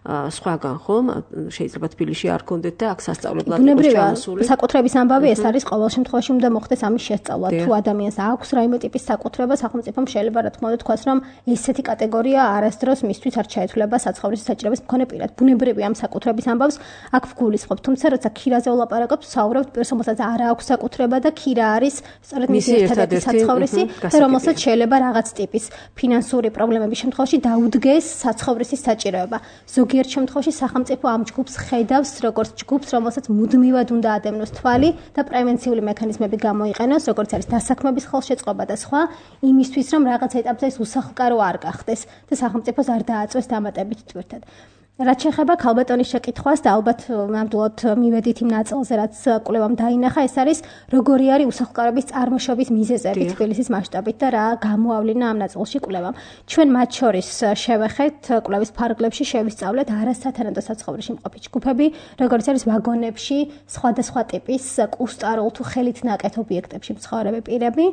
სხვაგან, ხომ? შეიძლება თბილისში არ კონდეთ და აქ სასწავლებლად იყოს ჩამოსული. საკუთრების ამბავი ეს არის ყოველ შემთხვევაში უნდა მოხდეს ამის შესწავლა. თუ ადამიანს აქვს რაიმე ტიპის საკუთრება, სახელმწიფომ შეიძლება რა თქმა უნდა თქვას, რომ ესეთი კატეგორია არასდროს მისთვის არ ჩაითვლება საცხოვრისის საჭიროების მქონე პირად. ბუნებრივია ამ საკუთრების ამბავს აქ ვგულისხმობ, თუმცა როცა ქირაზე ვლაპარაკობ, ვსაუბრობთ პირს, რომელსაც არ აქვს საკუთრება და ქირა არის სწორედ მისი ერთადერთი საცხოვრისი და რომელსაც შეიძლება რაღაც ტიპის ფინანსური პრობლემების შემთხვევაში დაუდგეს საცხოვრისის საჭიროება. ზოგიერთ შემთხვევაში სახელმწიფო ამ ჯგუფს ხედავს როგორც ჯგუფს, რომელსაც მუდმივად უნდა ადევნოს თვალი და პრევენციული მექანიზმები გამოიყენოს, როგორც არის დასაქმების ხელშეწყობა და სხვა, იმისთვის რომ რაღაც ეტაპზე ეს უსახლკარო არ გახდეს და სახელმწიფოს არ დააწვეს დამატებით თვირთად. რაც შეეხება ქალბატონის შეკითხვას და ალბათ ნამდვილად მივედით იმ ნაწილზე, რაც კვლევამ დაინახა, ეს არის როგორი არის უსახლკარობის წარმოშობის მიზეზები თბილისის მასშტაბით და რა გამოავლინა ამ ნაწილში კვლევამ. ჩვენ მათ შორის შევეხეთ კვლევის ფარგლებში შევისწავლეთ არასათანადო საცხოვრისში მყოფი ჯგუფები, როგორც არის ვაგონებში, სხვადასხვა ტიპის კუსტარულ თუ ხელით ნაკეთ ობიექტებში მცხოვრები პირები.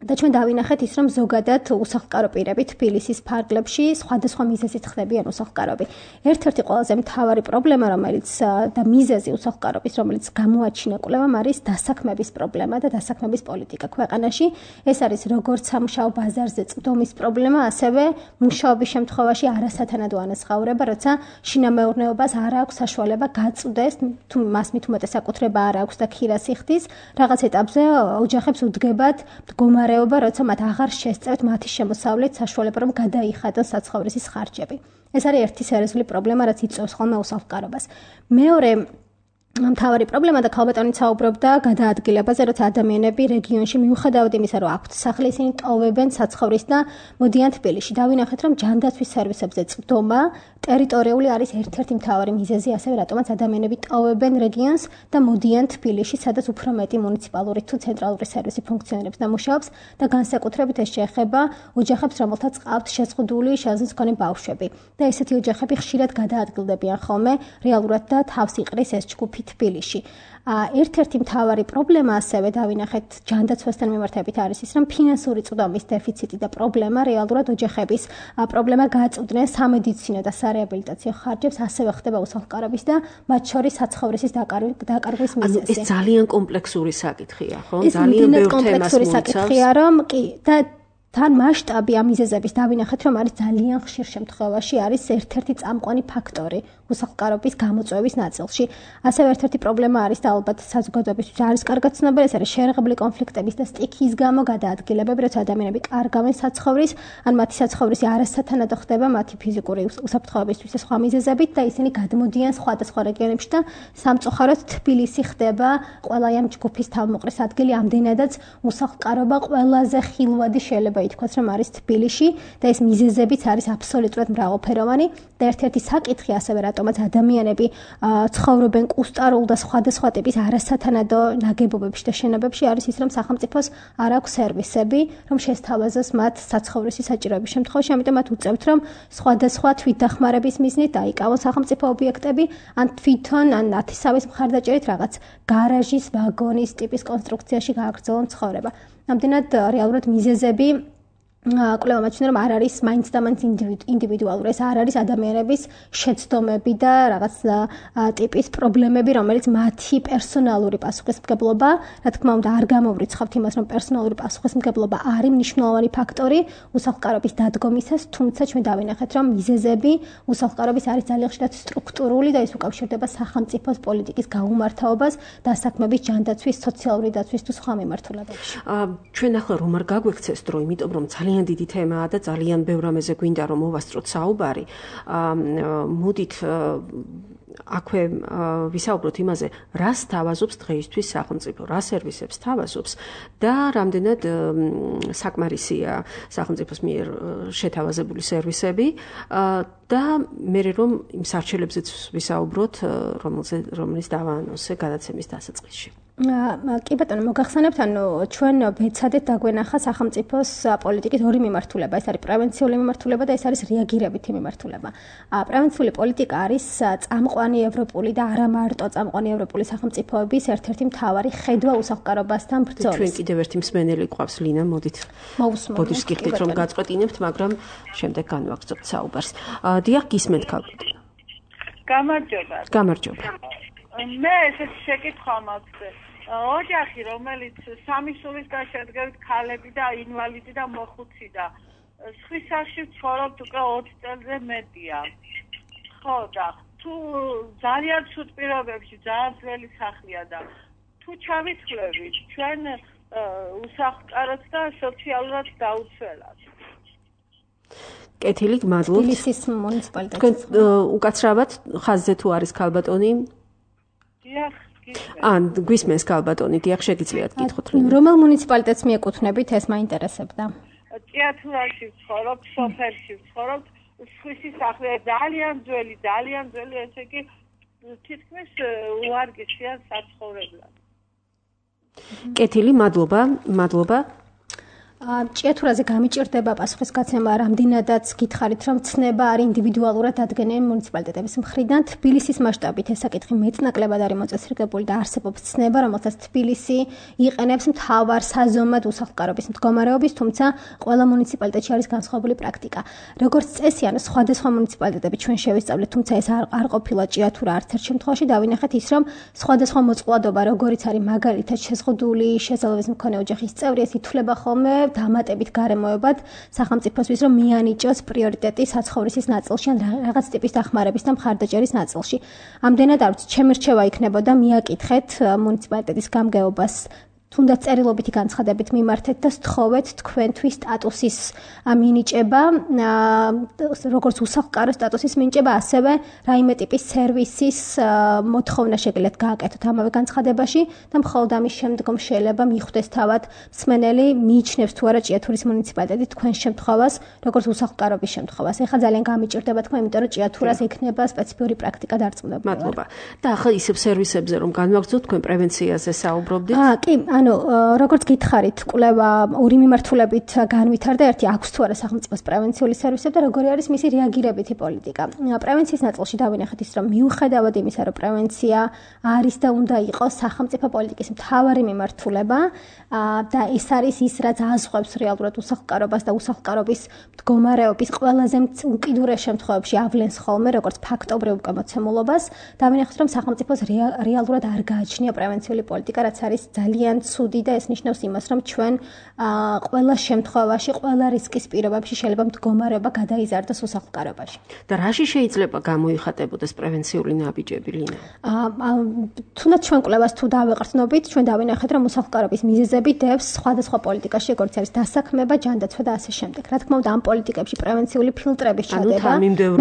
და ჩვენ დავინახეთ ის, რომ ზოგადად უსახლკარო პირები თბილისის ფარგლებში სხვადასხვა მიზეზით ხდებიან უსახლკაროები. ერთ-ერთი ყველაზე მთავარი პრობლემა, რომელიც და მიზეზი უსახლკარობის, რომელიც გამოაჩინა კვლევამ, არის დასაქმების პრობლემა და დასაქმების პოლიტიკა ქვეყანაში. ეს არის როგორც სამუშაო ბაზარზე წვდომის პრობლემა, ასევე მუშაობის შემთხვევაში არასათანადო ანაზღაურება, როცა შინამეურნეობას არ აქვს საშუალება გაწვდეს, თუ მას მით უმეტეს საკუთრება არ აქვს და ქირას იხდის, რაღაც ეტაპზე ოჯახებს უდგებათ მდგომარე როცა მათ აღარ შესწევთ მათი შემოსავლით საშუალება რომ გადაიხადოს საცხოვრისის ხარჯები. ეს არის ერთი სერიოზული პრობლემა, რაც იწვევს ხოლმე უსახლკარობას. მეორე მთავარი პრობლემა და ქალბატონიც საუბრობდა გადაადგილებაზე, როცა ადამიანები რეგიონში მიუხედავად იმისა, რომ აქვთ სახლი, ისინი ტოვებენ საცხოვრისს და მოდიან თბილისში. დავინახეთ, რომ ჯანდაცვის სერვისებზე წვდომა ტერიტორიული არის ერთ-ერთი მთავარი მიზეზი, ასევე რატომაც ადამიანები ტოვებენ რეგიონს და მოდიან თბილისში, სადაც უფრო მეტი მუნიციპალური თუ ცენტრალური სერვისი ფუნქციონირებს და მუშაობს და განსაკუთრებით ეს შეეხება ოჯახებს, რომელთაც ყავთ შეზღუდული შეზღუდვის მქონე ბავშვები. და ესეთი ოჯახები ხშირად გადაადგილდებიან ხოლმე რეალურად და თავს იყრის ეს ჯგუფი თბილისში. ერთ-ერთი მთავარი პრობლემა ასევე დავინახეთ ჯანდაცვასთან მიმართებით არის ის, რომ ფინანსური წვდომის დეფიციტი და პრობლემა რეალურად ოჯახების პრობლემა გააწვდნენ სამედიცინო და სარეაბილიტაციო ხარჯებს, ასევე ხდება უსახლკარობის და მათ შორის საცხოვრისის დაკარგვის მიზეზი. ეს ძალიან კომპლექსური საკითხია, ხო? ძალიან ბევრ თემას კომპლექსური საკითხია, რომ კი და თან მასშტაბი ამ მიზეზების დავინახეთ, რომ არის ძალიან ხშირ შემთხვევაში არის ერთ-ერთი წამყვანი ფაქტორი უსახლკარობის გამოწვევის ნაწილში. ასევე ერთ-ერთი პრობლემა არის და ალბათ საზოგადოებისთვის არის კარგად ცნობილი, ეს არის შერღებული კონფლიქტების და სტიქიის გამო გადაადგილებები, როცა ადამიანები კარგავენ საცხოვრის, ან მათი საცხოვრისი არასათანადო ხდება მათი ფიზიკური უსაფრთხოებისთვის და სხვა მიზეზებით და ისინი გადმოდიან სხვადასხვა რეგიონებში და სამწუხაროდ თბილისი ხდება ყველა ამ ჯგუფის თავმოყრის ადგილი, ამდენადაც უსახლკარობა ყველაზე ხილვადი შეიძლება ითქვას, რომ არის თბილისში და ეს მიზეზებიც არის აბსოლუტურად მრავალფეროვანი და ერთ-ერთი საკითხი ასევე რატომაც ადამიანები ცხოვრობენ კუსტარულ და სხვადასხვა ტიპის არასათანადო ნაგებობებში და შენობებში არის ის, რომ სახელმწიფოს არ აქვს სერვისები, რომ შესთავაზოს მათ საცხოვრისის საჭიროების შემთხვევაში, ამიტომ მათ უწევთ, რომ სხვადასხვა თვითდახმარების მიზნით დაიკავონ სახელმწიფო ობიექტები, ან თვითონ ან ნათესავის მხარდაჭერით რაღაც გარაჟის, ვაგონის ტიპის კონსტრუქციაში გააგრძელონ ცხოვრება. ამდენად რეალურად მიზეზები კვლევა მაჩვენებს რომ არ არის მაინც და მაინც ინდივიდუალური ეს არ არის ადამიანების შეცდომები და რაღაც ტიპის პრობლემები რომელიც მათი პერსონალური პასუხისმგებლობა რა თქმა უნდა არ გამოვრიცხავთ იმას რომ პერსონალური პასუხისმგებლობა არის მნიშვნელოვანი ფაქტორი უსახლკარობის დადგომისას თუმცა ჩვენ დავინახეთ რომ მიზეზები უსახლკარობის არის ძალიან ხშირად სტრუქტურული და ის უკავშირდება სახელმწიფოს პოლიტიკის გაუმართავობას დასაქმების ჯანდაცვის სოციალური დაცვის თუ სხვა მიმართულებებში ჩვენ ახლა რომ არ გაგვექცეს დრო იმიტომ რომ ძალიან დიდი თემაა და ძალიან ბევრ რამეზე გვინდა რომ მოვასწროთ საუბარი. მოდით აქვე ვისაუბროთ იმაზე, რას თავაზობს დღეისთვის სახელმწიფო, რა სერვისებს თავაზობს და რამდენად საკმარისია სახელმწიფოს მიერ შეთავაზებული სერვისები და მე რომ იმ სარჩელებზეც ვისაუბროთ, რომელიც დავაანონსე გადაცემის დასაწყისში. კი ბატონო მოგახსენებთ ანუ ჩვენ ვეცადეთ დაგვენახა სახელმწიფოს პოლიტიკის ორი მიმართულება ეს არის პრევენციული მიმართულება და ეს არის რეაგირებითი მიმართულება. პრევენციული პოლიტიკა არის წამყვანი ევროპული და არა მარტო წამყვანი ევროპული სახელმწიფოების ერთ-ერთი მთავარი ხედვა უსახლკარობასთან ბრძოლის. ჩვენ კიდევ ერთი მსმენელი გვყავს ლინა მოდით. მოусმენთ გიხდით რომ გაწყვეტინებთ მაგრამ შემდეგ განვაგრძობთ საუბარს. დიახ გისმენთ ქალბატონო. გამარჯობა. მე ეს შეკითხვა მაქვს. ოჯახი, რომელიც სამი სულისგან შედგებით ქალები და ინვალიდი და მოხუცი და სხვის სახში ცხოვრობთ უკვე 20 წელზე მეტია. ხო და თუ ძალიან ცუდ პირობებში ძალიან ძველი სახლია და თუ ჩავიცვლებით ჩვენ უსახლკაროდ და სოციალურად დაუცველად. კეთილი, მადლობთ. თბილისის მუნიციპალიტეტი. თქვენ უკაცრავად ხაზზე თუ არის ქალბატონი? დიახ. გვისმენს ქალბატონი, დიახ შეგიძლიათ გითხოთ. რომელ მუნიციპალიტეტს მიეკუთვნებით, ეს მაინტერესებდა. ჭიათურაში ვცხოვრობ, სოფელში ვცხოვრობ, სხვისი სახლია ძალიან ძველი, ესე იგი თითქმის უარგესია საცხოვრებლად. კეთილი, მადლობა. ჭიათურაზე გამიჭირდება პასუხისგაცემა რამდენადაც გითხარით რომ ცნება არის ინდივიდუალურად ადგენენ მუნიციპალიტეტების მხრიდან თბილისის მასშტაბით ეს საკითხი მეტნაკლებად არის მოწესრიგებული და არსებობს ცნება რომელსაც თბილისი იყენებს მთავარ საზომად უსახლკარობის მდგომარეობის თუმცა ყველა მუნიციპალიტეტში არის განსხვავებული პრაქტიკა როგორც წესი ანუ სხვადასხვა მუნიციპალიტეტები ჩვენ შევისწავლეთ თუმცა ეს არ ყოფილა ჭიათურა არც ერთ შემთხვევაში დავინახეთ ის რომ სხვადასხვა მოწყვლადობა როგორიც არის მაგალითად შეზღუდული შესაძლებლობის მქონე ოჯახის წევრი ეს ითვლება ხოლმე დამატებით გარემოებად სახელმწიფოსთვის რომ მიანიჭოს პრიორიტეტი საცხოვრისის ნაწილში ან რაღაც ტიპის დახმარების და მხარდაჭერის ნაწილში. ამდენად არც ჩემი რჩევა იქნებოდა მიაკითხეთ მუნიციპალიტეტის გამგეობას თუნდაც წერილობითი განცხადებით მიმართეთ და სთხოვეთ თქვენთვის სტატუსის მინიჭება, როგორც უსახლკარო სტატუსის მინიჭება, ასევე რაიმე ტიპის სერვისის მოთხოვნა შეგიძლიათ გააკეთოთ ამავე განცხადებაში და მხოლოდ ამის შემდგომ შეიძლება მიხვდეს თავად მსმენელი მიიჩნევს თუ არა ჭიათურის მუნიციპალიტეტი თქვენ შემთხვევას, როგორც უსახლკარობის შემთხვევას. ეხლა ძალიან გამიჭირდება თქმა, იმიტომ რომ ჭიათურას ექნება სპეციფიური პრაქტიკა დარწმუნებული. მადლობა. და ახლა ისევ სერვისებზე რომ განვაგრძოთ, თქვენ პრევენციაზე საუბრობდით? კი, როგორც გითხარით, კვლევა ორი მიმართულებით განვითარდა, ერთი აქვს თუ არა სახელმწიფოს პრევენციული სერვისები და როგორი არის მისი რეაგირებითი პოლიტიკა. პრევენციის ნაწილში დავინახეთ ის, რომ მიუხედავად იმისა, რომ პრევენცია არის და უნდა იყოს სახელმწიფო პოლიტიკის მთავარი მიმართულება და ეს არის ის, რაც აზღვევს რეალურად უსახლკარობას და უსახლკარობის მდგომარეობის ყველაზე უკიდურეს შემთხვევებში ავლენს ხოლმე, როგორც ფაქტობრივ უკამოცემულობას, დავინახეთ, რომ სახელმწიფოს რეალურად არ გააჩნია პრევენციული პოლიტიკა, რაც არის ძალიან ცუდი და ეს ნიშნავს იმას, რომ ჩვენ ყველა შემთხვევაში, ყველა რისკის პირობებში შეიძლება მდგომარეობა გადაიზარდოს უსახლკარობაში. და რაში შეიძლება გამოიხატებოდეს პრევენციული ნაბიჯები, ლინა? თუნდაც ჩვენ კვლევას თუ დავეყრდნობით, ჩვენ დავინახეთ, რომ უსახლკარობის მიზეზები დევს სხვადასხვა პოლიტიკაში, როგორც არის დასაქმება, ჯანდაცვა და ასე შემდეგ. რა თქმა უნდა, ამ პოლიტიკებში პრევენციული ფილტრების ჩადება,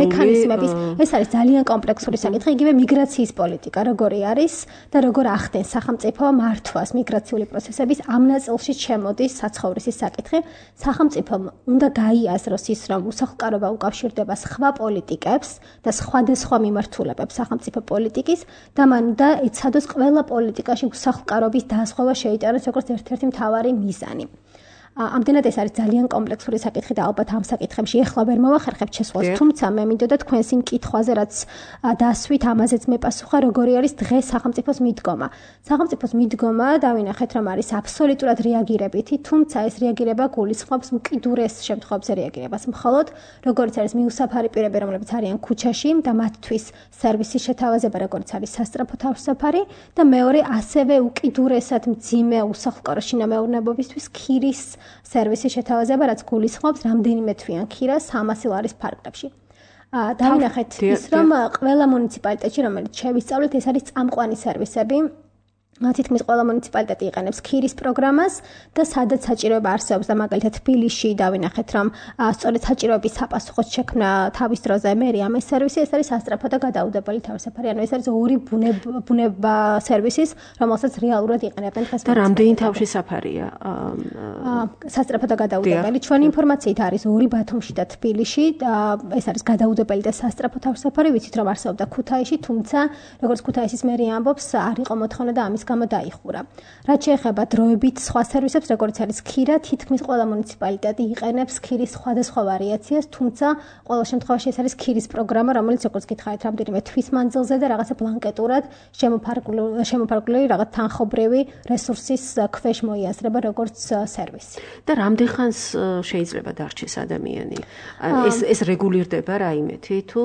მექანიზმების, ეს არის ძალიან კომპლექსური საკითხი, იგივე მიგრაციის პოლიტიკა, როგორი არის და როგორ ახდენს სახელმწიფო მართვას მიგრაციული პროცესების ამ ნაწილში შემოდის საცხოვრისის საკითხი. სახელმწიფომ უნდა გაიაზროს ის, რომ უსახლკარობა უკავშირდება სხვა პოლიტიკებს და სხვადასხვა მიმართულებებს სახელმწიფო პოლიტიკის და მან უნდა ეცადოს ყველა პოლიტიკაში უსახლკარობის დაზღვევა შეიტანოს როგორც ერთ-ერთი მთავარი მიზანი. ამდენად ეს არის ძალიან კომპლექსური საკითხი და ალბათ ამ საკითხებში ეხლა ვერ მოვახერხებთ შესვლას, თუმცა მე მინდოდა თქვენს იმ კითხვაზე, რაც დასვით ამაზეც მეპასუხა, როგორი არის დღეს სახელმწიფოს მიდგომა. სახელმწიფოს მიდგომა დავინახეთ, რომ არის აბსოლუტურად რეაგირებითი, თუმცა ეს რეაგირება გულისხმობს უკიდურეს შემთხვევებზე რეაგირებას. მხოლოდ როგორც არის მიუსაფარი პირები, რომლებიც არიან ქუჩაში და მათთვის სერვისის შეთავაზება, როგორც არის სასწრაფო თავსაფარი და მეორე ასევე უკიდურესად მძიმე უსახლკარო შინამეურნეობისთვის ქირის სერვისის შეთავაზება, რაც გულისხმობს რამდენიმე თვიან ქირას 300 ლარის ფარგლებში. დავინახეთ ის, რომ ყველა მუნიციპალიტეტში, რომელიც შევისწავლეთ, ეს არის წამყვანი სერვისები. თითქმის ყველა მუნიციპალიტეტი იყენებს ქირის პროგრამას და სადაც საჭიროება არსებობს და მაგალითად თბილისში დავინახეთ, რომ სწორედ საჭიროების საპასუხოდ შექმნა თავის დროზე მერიამ ეს სერვისი, ეს არის სასწრაფო და გადაუდებელი თავსაფარი. ანუ ეს არის ორი ბუნება სერვისის, რომელსაც რეალურად იყენებენ დღეს. და რამდენი თავშესაფარია? სასწრაფო და გადაუდებელი. ჩვენი ინფორმაციით არის ორი ბათუმში და თბილისში და ეს არის გადაუდებელი და სასწრაფო თავსაფარი, ვიცით რომ არსებობდა ქუთაისში, თუმცა როგორც ქუთაისის მერია ამბობს, არ იყო მოთხოვნა და ამის გამო დაიხურა. რაც შეეხება დროებით სხვა სერვისებს, როგორც არის ქირა, თითქმის ყველა მუნიციპალიტეტი იყენებს ქირის სხვადასხვა ვარიაციას, თუმცა ყველა შემთხვევაში ეს არის ქირის პროგრამა, რომელიც როგორც გითხარით, რამდენიმე თვის მანძილზე და რაღაცა ბლანკეტურად შემოფარგლული რაღაც თანხობრივი რესურსის ქვეშ მოიაზრება როგორც სერვისი. და რამდენ ხანს შეიძლება დარჩეს ადამიანი? ეს რეგულირდება რაიმეთი თუ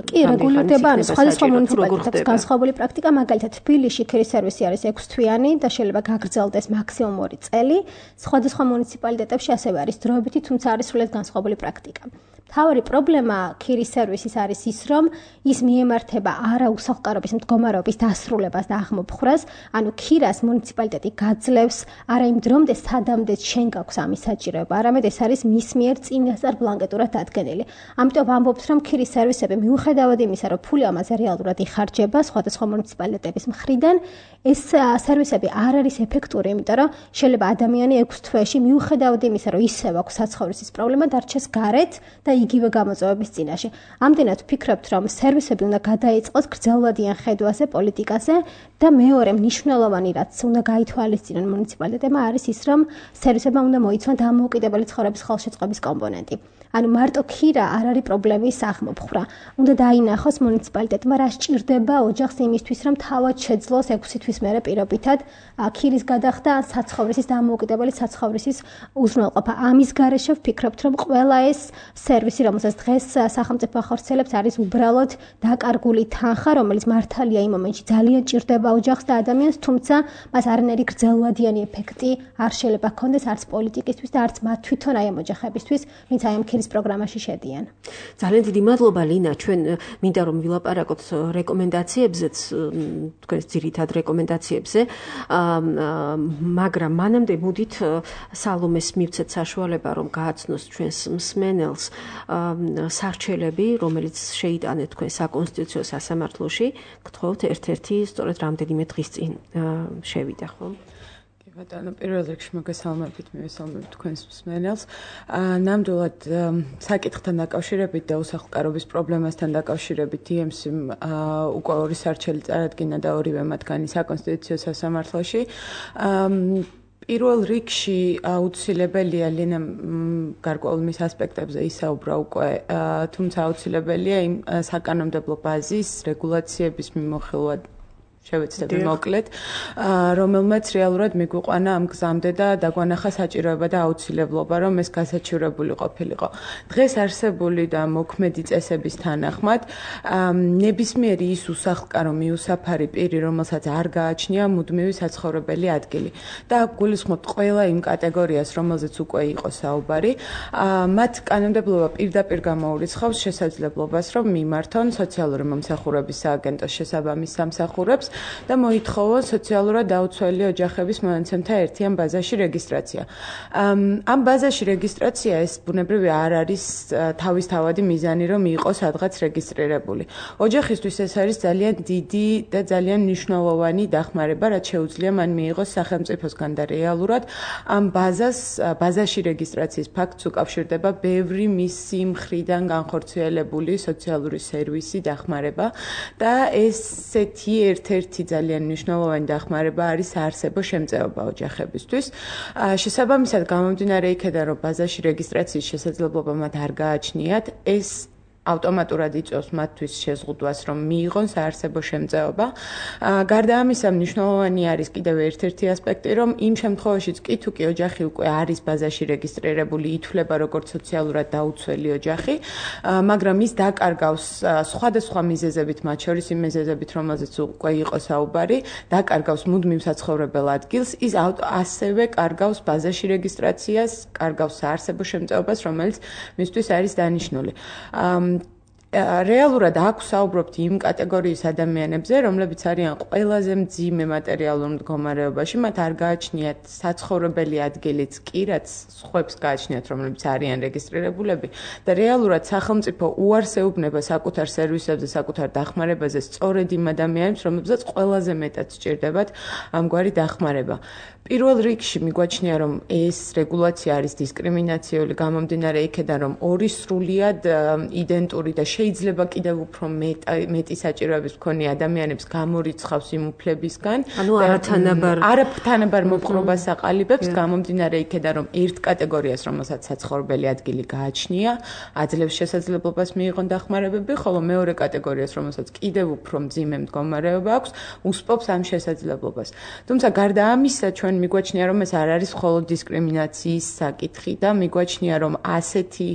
კი, რეგულირდება, ანუ სხვადასხვა მუნიციპალიტეტებს განსხვავებული პრაქტიკა, მაგალითად თბილისში ქირის სერვისი არის 6 თვიანი და შეიძლება გაგრძელდეს მაქსიმუმ 2 წელი. სხვადასხვა მუნიციპალიტეტებში ასევე არის დროებითი, თუმცა არის სრულიად განსხვავებული პრაქტიკა. მთავარი პრობლემა ქირის სერვისის არის ის, რომ ის მიემართება არა უსახლკარობის მდგომარეობის დასრულებას და აღმოფხვრას, ანუ ქირას მუნიციპალიტეტი გაძლევს არა იმ დრომდე, სადამდე შენ გაქვს ამის საჭიროება, არამედ ეს არის მის მიერ წინასწარ ბლანკეტურად დადგენილი. ამიტომ ვამბობთ, რომ ქირის სერვისები მიუხედავად იმისა, რომ ფული ამაზე რეალურად იხარჯება სხვადასხვა მუნიციპალიტეტების მხრიდან, ეს სერვისები არ არის ეფექტური, იმიტომ რომ შეიძლება ადამიანი 6 თვეში მიუხედავად იმისა, რომ ისევ აქვს საცხოვრისის პრობლემა, დარჩეს გარეთ და იგივე გამოწვევების წინაშე. ამდენად ვფიქრობთ, რომ სერვისები უნდა გადაიწყოს გრძელვადიან ხედვაზე, პოლიტიკაზე და მეორე მნიშვნელოვანი, რაც უნდა გაითვალისწინონ მუნიციპალიტეტებმა, არის ის, რომ სერვისებმა უნდა მოიცვან დამოუკიდებელი ცხოვრების ხელშეწყობის კომპონენტი. ანუ მარტო ქირა არ არის პრობლემის აღმოფხვრა. უნდა დაინახოს მუნიციპალიტეტმა რა სჭირდება ოჯახს იმისთვის, რომ თავად შეძლოს 6 თვის მერე პირობითად ქირის გადახდა ან საცხოვრისის დამოუკიდებელი საცხოვრისის უზრუნველყოფა. ამის გარეშე ვფიქრობთ, რომ ყველა ეს სერვისი, რომელსაც დღეს სახელმწიფო ახორციელებს, არის უბრალოდ დაკარგული თანხა, რომელიც მართალია იმ მომენტში ძალიან ჭირდება ოჯახს და ადამიანს, თუმცა მას არანაირი გრძელვადიანი ეფექტი არ შეიძლება ჰქონდეს არც პოლიტიკისთვის და არც მათ თვითონ აი ამ ოჯახებისთვის, ვინც აი ამ ქირის პროგრამაში შედიან. ძალიან დიდი მადლობა ლინა, ჩვენ მინდა რომ ვილაპარაკოთ რეკომენდაციებზეც, თქვენს ძირითად რეკომენდაციებზე, მაგრამ მანამდე მოდით სალომეს მივცეთ საშუალება, რომ გააცნოს ჩვენს მსმენელს სარჩელები, რომელიც შეიტანეთ თქვენ საკონსტიტუციო სასამართლოში, გთხოვთ ერთ-ერთი სწორედ რამდენიმე დღის წინ შევიდა, ხო? ბატონო, პირველ რიგში მოგესალმებით, მივესალმებით თქვენს მსმენელს. ნამდვილად საკითხთან დაკავშირებით და უსახლკარობის პრობლემასთან დაკავშირებით EMC-მ უკვე 2 სარჩელი წარადგინა და ორივე მათგანი საკონსტიტუციო სასამართლოში. პირველ რიგში აუცილებელია ლინა გარკვეულ მის ასპექტებზე ისაუბრა უკვე, თუმცა აუცილებელია იმ საკანონმდებლო ბაზის რეგულაციების მიმოხილვა შევეცდები მოკლედ, რომელმაც რეალურად მიგვიყვანა ამ გზამდე და დაგვანახა საჭიროება და აუცილებლობა, რომ ეს გასაჩივრებული ყოფილიყო. დღეს არსებული და მოქმედი წესების თანახმად, ნებისმიერი ის უსახლკარო მიუსაფარი პირი, რომელსაც არ გააჩნია მუდმივი საცხოვრებელი ადგილი და გულისხმობთ ყველა იმ კატეგორიას, რომელზეც უკვე იყო საუბარი, მათ კანონმდებლობა პირდაპირ გამოურიცხავს შესაძლებლობას, რომ მიმართონ სოციალური მომსახურების სააგენტოს შესაბამის სამსახურებს და მოითხოვონ სოციალურად დაუცველი ოჯახების მონაცემთა ერთიან ბაზაში რეგისტრაცია. ამ ბაზაში რეგისტრაცია ეს ბუნებრივი არ არის თავისთავადი მიზანი, რომ იყოს სადღაც რეგისტრირებული. ოჯახისთვის ეს არის ძალიან დიდი და ძალიან მნიშვნელოვანი დახმარება, რაც შეუძლია მან მიიღოს სახელმწიფოსგან და რეალურად ამ ბაზაში რეგისტრაციის ფაქტს უკავშირდება ბევრი მისი მხრიდან განხორციელებული სოციალური სერვისი, დახმარება და ესეთი ერთ-ერთი ერთ-ერთი ძალიან მნიშვნელოვანი დახმარება არის საარსებო შემწეობა ოჯახებისთვის. შესაბამისად, გამომდინარე იქედან, რომ ბაზაში რეგისტრაციის შესაძლებლობა მათ არ გააჩნიათ, ეს ავტომატურად იწვევს მათთვის შეზღუდვას, რომ მიიღონ საარსებო შემწეობა. გარდა ამისა, მნიშვნელოვანი არის კიდევ ერთ-ერთი ასპექტი, რომ იმ შემთხვევაშიც კი თუ კი ოჯახი უკვე არის ბაზაში რეგისტრირებული, ითვლება როგორც სოციალურად დაუცველი ოჯახი, მაგრამ ის დაკარგავს სხვადასხვა მიზეზებით, მათ შორის იმ მიზეზებით, რომელზეც უკვე იყო საუბარი, დაკარგავს მუდმივ საცხოვრებელ ადგილს, ის ასევე კარგავს ბაზაში რეგისტრაციას, კარგავს საარსებო შემწეობას, რომელიც მისთვის არის დანიშნული. რეალურად აქვს საუბრობთ იმ კატეგორიის ადამიანებზე, რომლებიც არიან ყველაზე მძიმე მატერიალურ მდგომარეობაში, მათ არ გააჩნიათ საცხოვრებელი ადგილიც კი, რაც სხვებს გააჩნიათ, რომლებიც არიან რეგისტრირებულები და რეალურად სახელმწიფო უარს ეუბნება საკუთარ სერვისებზე, საკუთარ დახმარებაზე სწორედ იმ ადამიანებს, რომლებსაც ყველაზე მეტად სჭირდებათ ამგვარი დახმარება. პირველ რიგში მიგვაჩნია, რომ ეს რეგულაცია არის დისკრიმინაციული, გამომდინარე იქედან, რომ ორი სრულიად იდენტური და შეიძლება კიდევ უფრო მეტი საჭიროების მქონე ადამიანებს გამორიცხავს იმ უფლებისგან. ანუ არათანაბარ მოპყრობას აყალიბებს, გამომდინარე იქედან, რომ ერთ კატეგორიას, რომელსაც საცხოვრებელი ადგილი გააჩნია, აძლევს შესაძლებლობას მიიღონ დახმარებები, ხოლო მეორე კატეგორიას, რომელსაც კიდევ უფრო მძიმე მდგომარეობა აქვს, უსპობს ამ შესაძლებლობას. თუმცა გარდა ამისა, ჩვენ მიგვაჩნია, რომ ეს არ არის მხოლოდ დისკრიმინაციის საკითხი და მიგვაჩნია, რომ ასეთი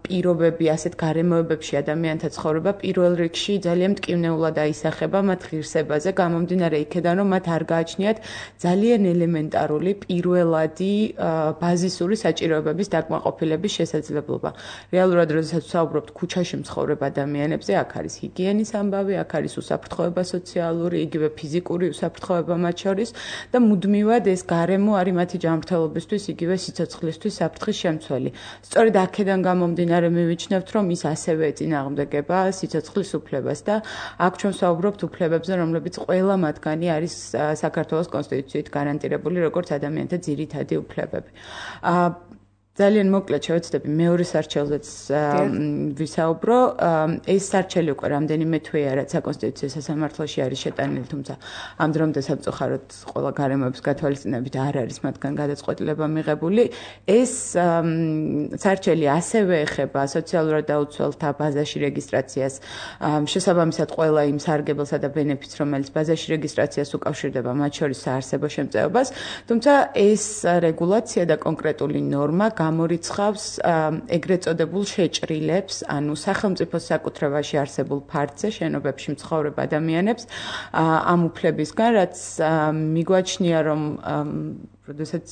პირობები, ასეთ გარემოებებში ადამიანთა ცხოვრება პირველ რიგში ძალიან მტკივნეულად აისახება მათ ღირსებაზე, გამომდინარე იქედან, რომ მათ არ გააჩნიათ ძალიან ელემენტარული პირველადი ბაზისური საჭიროებების დაკმაყოფილების შესაძლებლობა. რეალურად, როდესაც ვსაუბრობთ ქუჩაში მცხოვრებ ადამიანებზე, აქ არის ჰიგიენის ამბავი, აქ არის უსაფრთხოება სოციალური, იგივე ფიზიკური უსაფრთხოება მათ შორის და მუდმივად ეს გარემო არის მათი ჯანმრთელობისთვის, იგივე სიცოცხლისთვის საფრთხის შემცველი. სწორედ აქედან გამომდინარე მივიჩნევთ, რომ ის ასევე წინააღმდეგება სიცოცხლის უფლებას და აქ ჩვენ ვსაუბრობთ უფლებებზე, რომლებიც ყველა მათგანი არის საქართველოს კონსტიტუციით გარანტირებული როგორც ადამიანთა ძირითადი უფლებები. ძალიან მოკლედ შევეცდები მეორე სარჩელზეც ვისაუბრო. ეს სარჩელი უკვე რამდენიმე თვეა, რაც საკონსტიტუციო სასამართლოში არის შეტანილი, თუმცა ამ დრომდე სამწუხაროდ ყველა გარემოების გათვალისწინებით არ არის მათგან გადაწყვეტილება მიღებული. ეს სარჩელი ასევე ეხება სოციალურად დაუცველთა ბაზაში რეგისტრაციას, შესაბამისად ყველა იმ სარგებელსა და ბენეფიტს, რომელიც ბაზაში რეგისტრაციას უკავშირდება, მათ შორის საარსებო შემწეობას, თუმცა ეს რეგულაცია და კონკრეტული ნორმა გამორიცხავს ეგრეთ წოდებულ შეჭრილებს, ანუ სახელმწიფოს საკუთრებაში არსებულ ფართზე, შენობებში მცხოვრებ ადამიანებს ამ უფლებისგან, რაც მიგვაჩნია, რომ როდესაც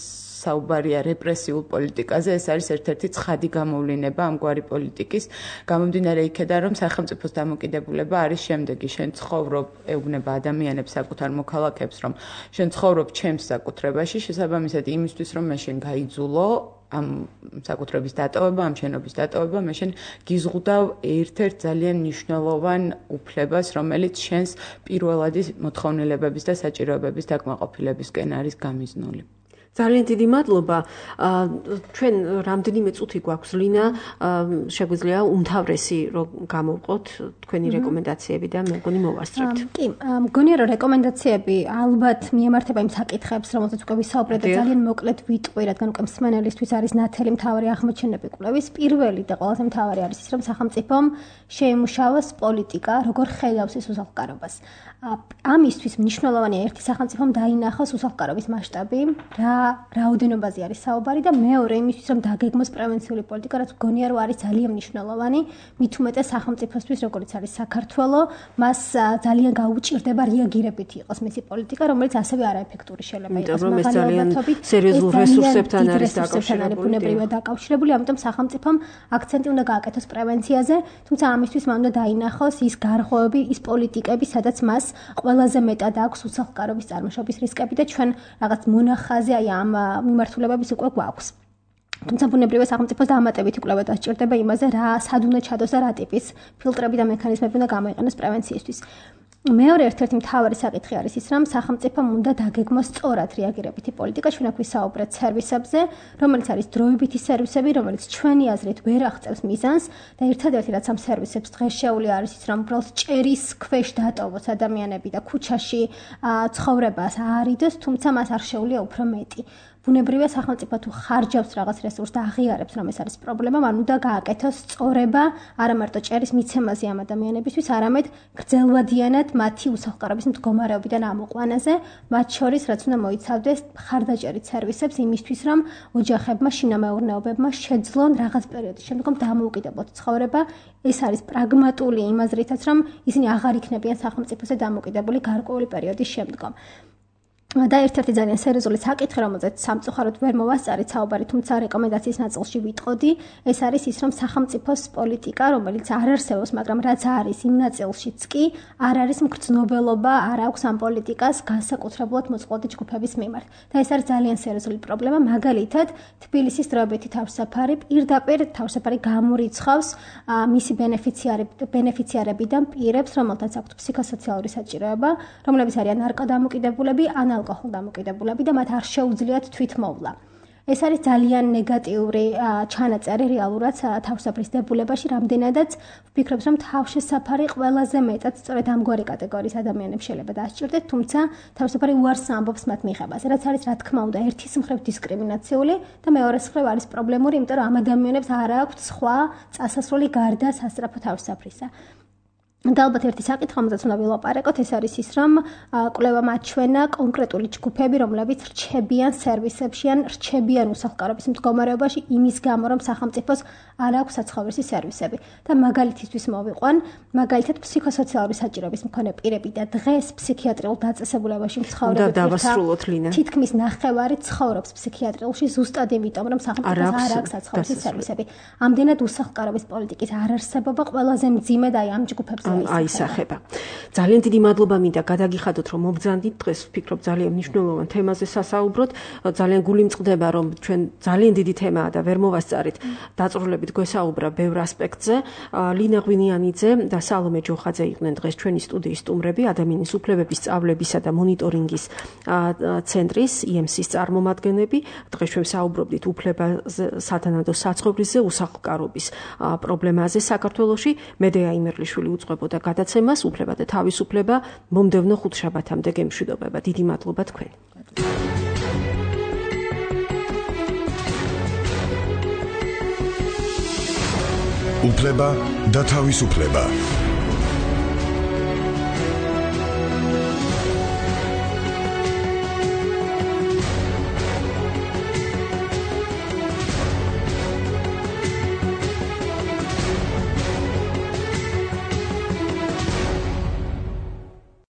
საუბარია რეპრესიულ პოლიტიკაზე, ეს არის ერთ-ერთი ცხადი გამოვლინება ამგვარი პოლიტიკის, გამომდინარე იქედან, რომ სახელმწიფოს დამოკიდებულება არის შემდეგი: შენ ცხოვრობ, ეუბნება ადამიანებს, საკუთარ მოქალაქეებს, რომ შენ ცხოვრობ ჩემს საკუთრებაში, შესაბამისად იმისთვის, რომ მე შენ გაიძულო ამ საკუთრების დატოვება, ამ შენობის დატოვება, მე შენ გიზღუდავ ერთ-ერთ ძალიან მნიშვნელოვან უფლებას, რომელიც შენს პირველადი მოთხოვნილებების და საჭიროებების დაკმაყოფილებისკენ არის გამიზნული. ძალიან დიდი მადლობა. ჩვენ რამდენიმე წუთი გვაქვს ლინა, შეგვიძლია უმთავრესი რომ გამოვყოთ თქვენი რეკომენდაციები და მე მგონი მოვასწრებთ. კი, მგონია რომ რეკომენდაციები ალბათ მიემართება იმ საკითხებს, რომელზეც უკვე ვისაუბრეთ და ძალიან მოკლედ ვიტყვი, რადგან უკვე მსმენელისთვის არის ნათელი მთავარი აღმოჩენები კვლევის. პირველი და ყველაზე მთავარი არის ის, რომ სახელმწიფომ შეიმუშავოს პოლიტიკა, როგორ ხედავს ის უსახლკარობას. ამისთვის მნიშვნელოვანია ერთი სახელმწიფომ დაინახოს უსახლკარობის მასშტაბი, რა რაოდენობაზე არის საუბარი და მეორე იმისთვის რომ დაგეგმოს პრევენციული პოლიტიკა, რაც მგონია რომ არის ძალიან მნიშვნელოვანი, მით უმეტეს სახელმწიფოსთვის, როგორც არის საქართველო, მას ძალიან გაუჭირდება რეაგირებითი იყოს მისი პოლიტიკა, რომელიც ასევე არაეფექტური შეიძლება იყოს. მაგრამ ეს ძალიან სერიოზულ რესურსებთან არის დაკავშირებული, ამიტომ სახელმწიფომ აქცენტი უნდა გააკეთოს პრევენციაზე, თუმცა ამისთვის მან უნდა დაინახოს ის გარღვევები, ის პოლიტიკები, სადაც მას ყველაზე მეტად აქვს უსახლკარობის წარმოშობის რისკები და ჩვენ რაღაც მონახაზე აი ამ მიმართულებების უკვე გვაქვს. თუმცა ბუნებრივია სახელმწიფოს დამატებითი კვლევა დასჭირდება იმაზე, რა სად უნდა ჩადოს და რა ტიპის ფილტრები და მექანიზმები უნდა გამოიყენოს პრევენციისთვის. მეორე ერთ-ერთი მთავარი საკითხი არის ის, რომ სახელმწიფომ უნდა დაგეგმოს სწორად რეაგირებითი პოლიტიკა, ჩვენ აქ ვისაუბრეთ სერვისებზე, რომელიც არის დროებითი სერვისები, რომელიც ჩვენი აზრით ვერ აღწევს მიზანს და ერთადერთი რაც ამ სერვისებს დღეს შეუძლია არის ის, რომ უბრალოდ ჭერის ქვეშ დატოვოს ადამიანები და ქუჩაში ცხოვრებას აარიდოს, თუმცა მას არ შეუძლია უფრო მეტი. ბუნებრივია სახელმწიფო თუ ხარჯავს რაღაც რესურსს და აღიარებს რომ ეს არის პრობლემა, მან უნდა გააკეთოს სწორება არა მარტო ჭერის მიცემაზე ამ ადამიანებისთვის, არამედ გრძელვადიანად მათი უსახლკარობის მდგომარეობიდან ამოყვანაზე, მათ შორის რაც უნდა მოიცავდეს ხარდაჭერით სერვისებს იმისთვის, რომ ოჯახებმა, შინამეურნეობებმა შეძლონ რაღაც პერიოდის შემდგომ დამოუკიდებლად ცხოვრება. ეს არის პრაგმატული იმ აზრითაც, რომ ისინი აღარ იქნებიან სახელმწიფოზე დამოუკიდებელი გარკვეული პერიოდის შემდგომ. და ერთ-ერთი ძალიან სერიოზული საკითხი, რომელზეც სამწუხაროდ ვერ მოვასწარით საუბარი, თუმცა რეკომენდაციის ნაწილში ვიტყოდი, ეს არის ის, რომ სახელმწიფოს პოლიტიკა, რომელიც არ არსებობს, მაგრამ რაც არის იმ ნაწილშიც კი, არ არის მგრძნობელობა, არ აქვს ამ პოლიტიკას განსაკუთრებულად მოწყვლადი ჯგუფების მიმართ. და ეს არის ძალიან სერიოზული პრობლემა, მაგალითად, თბილისის დროებითი თავშესაფარი პირდაპირ თავშესაფარი გამორიცხავს მისი ბენეფიციარებიდან პირებს, რომელთაც აქვთ ფსიქოსოციალური საჭიროება, რომლებიც არიან ნარკოდამოკიდებულები, ან ალკოჰოლ დამოკიდებულები და მათ არ შეუძლიათ თვითმოვლა. ეს არის ძალიან ნეგატიური ჩანაწერი რეალურად თავშესაფრის დებულებაში, რამდენადაც ვფიქრობ, რომ თავშესაფარი ყველაზე მეტად სწორედ ამგვარი კატეგორიის ადამიანებს შეიძლება დასჭირდეთ, თუმცა თავშესაფარი უარს ამბობს მათ მიღებას, რაც არის რა თქმა უნდა ერთის მხრივ დისკრიმინაციული და მეორეს მხრივ არის პრობლემური, იმიტომ რომ ამ ადამიანებს არ აქვთ სხვა წასასვლელი გარდა სასწრაფო თავშესაფრისა. და ალბათ ერთი საკითხი, რომელზეც უნდა ვილაპარაკოთ, ეს არის ის, რომ კვლევამ აჩვენა კონკრეტული ჯგუფები, რომლებიც რჩებიან სერვისებში ან რჩებიან უსახლკარობის მდგომარეობაში იმის გამო, რომ სახელმწიფოს არ აქვს საცხოვრისი სერვისები. და მაგალითისთვის მოვიყვან, მაგალითად ფსიქოსოციალური საჭიროების მქონე პირები და დღეს ფსიქიატრიულ დაწესებულებაში მცხოვრები თითქმის ნახევარი ცხოვრობს ფსიქიატრიულში ზუსტად იმიტომ, რომ სახელმწიფოს არ აქვს საცხოვრისი სერვისები. ამდენად უსახლკარობის პოლიტიკის არარსებობა ყველაზე მძიმე და ამ ჯგუფებს აისახება. ძალიან დიდი მადლობა მინდა გადაგიხადოთ, რომ მობრძანდით დღეს ვფიქრობ ძალიან მნიშვნელოვან თემაზე სასაუბროთ. ძალიან გული მწყდება, რომ ჩვენ ძალიან დიდი თემაა და ვერ მოვასწარით. დაწვრილებით გვესაუბრა ბევრ ასპექტზე. ლინა ღვინიანიძე და სალომე ჯოხაძე იყვნენ დღეს ჩვენი სტუდიის სტუმრები, ადამიანის უფლებების სწავლებისა და მონიტორინგის ცენტრის IMC-ის წარმომადგენლები. დღეს ჩვენ საუბრობდით უფლებაზე, სათანადო საცხოვრისზე, უსახლკარობის პრობლემაზე საქართველოში. მედეა იმერლიშვილი უძღვებოდა გადაცემას უფლება და თავისუფლება მომდევნო ხუთშაბათამდე გემშვიდობება. დიდი მადლობა თქვენ. უფლება და თავისუფლება.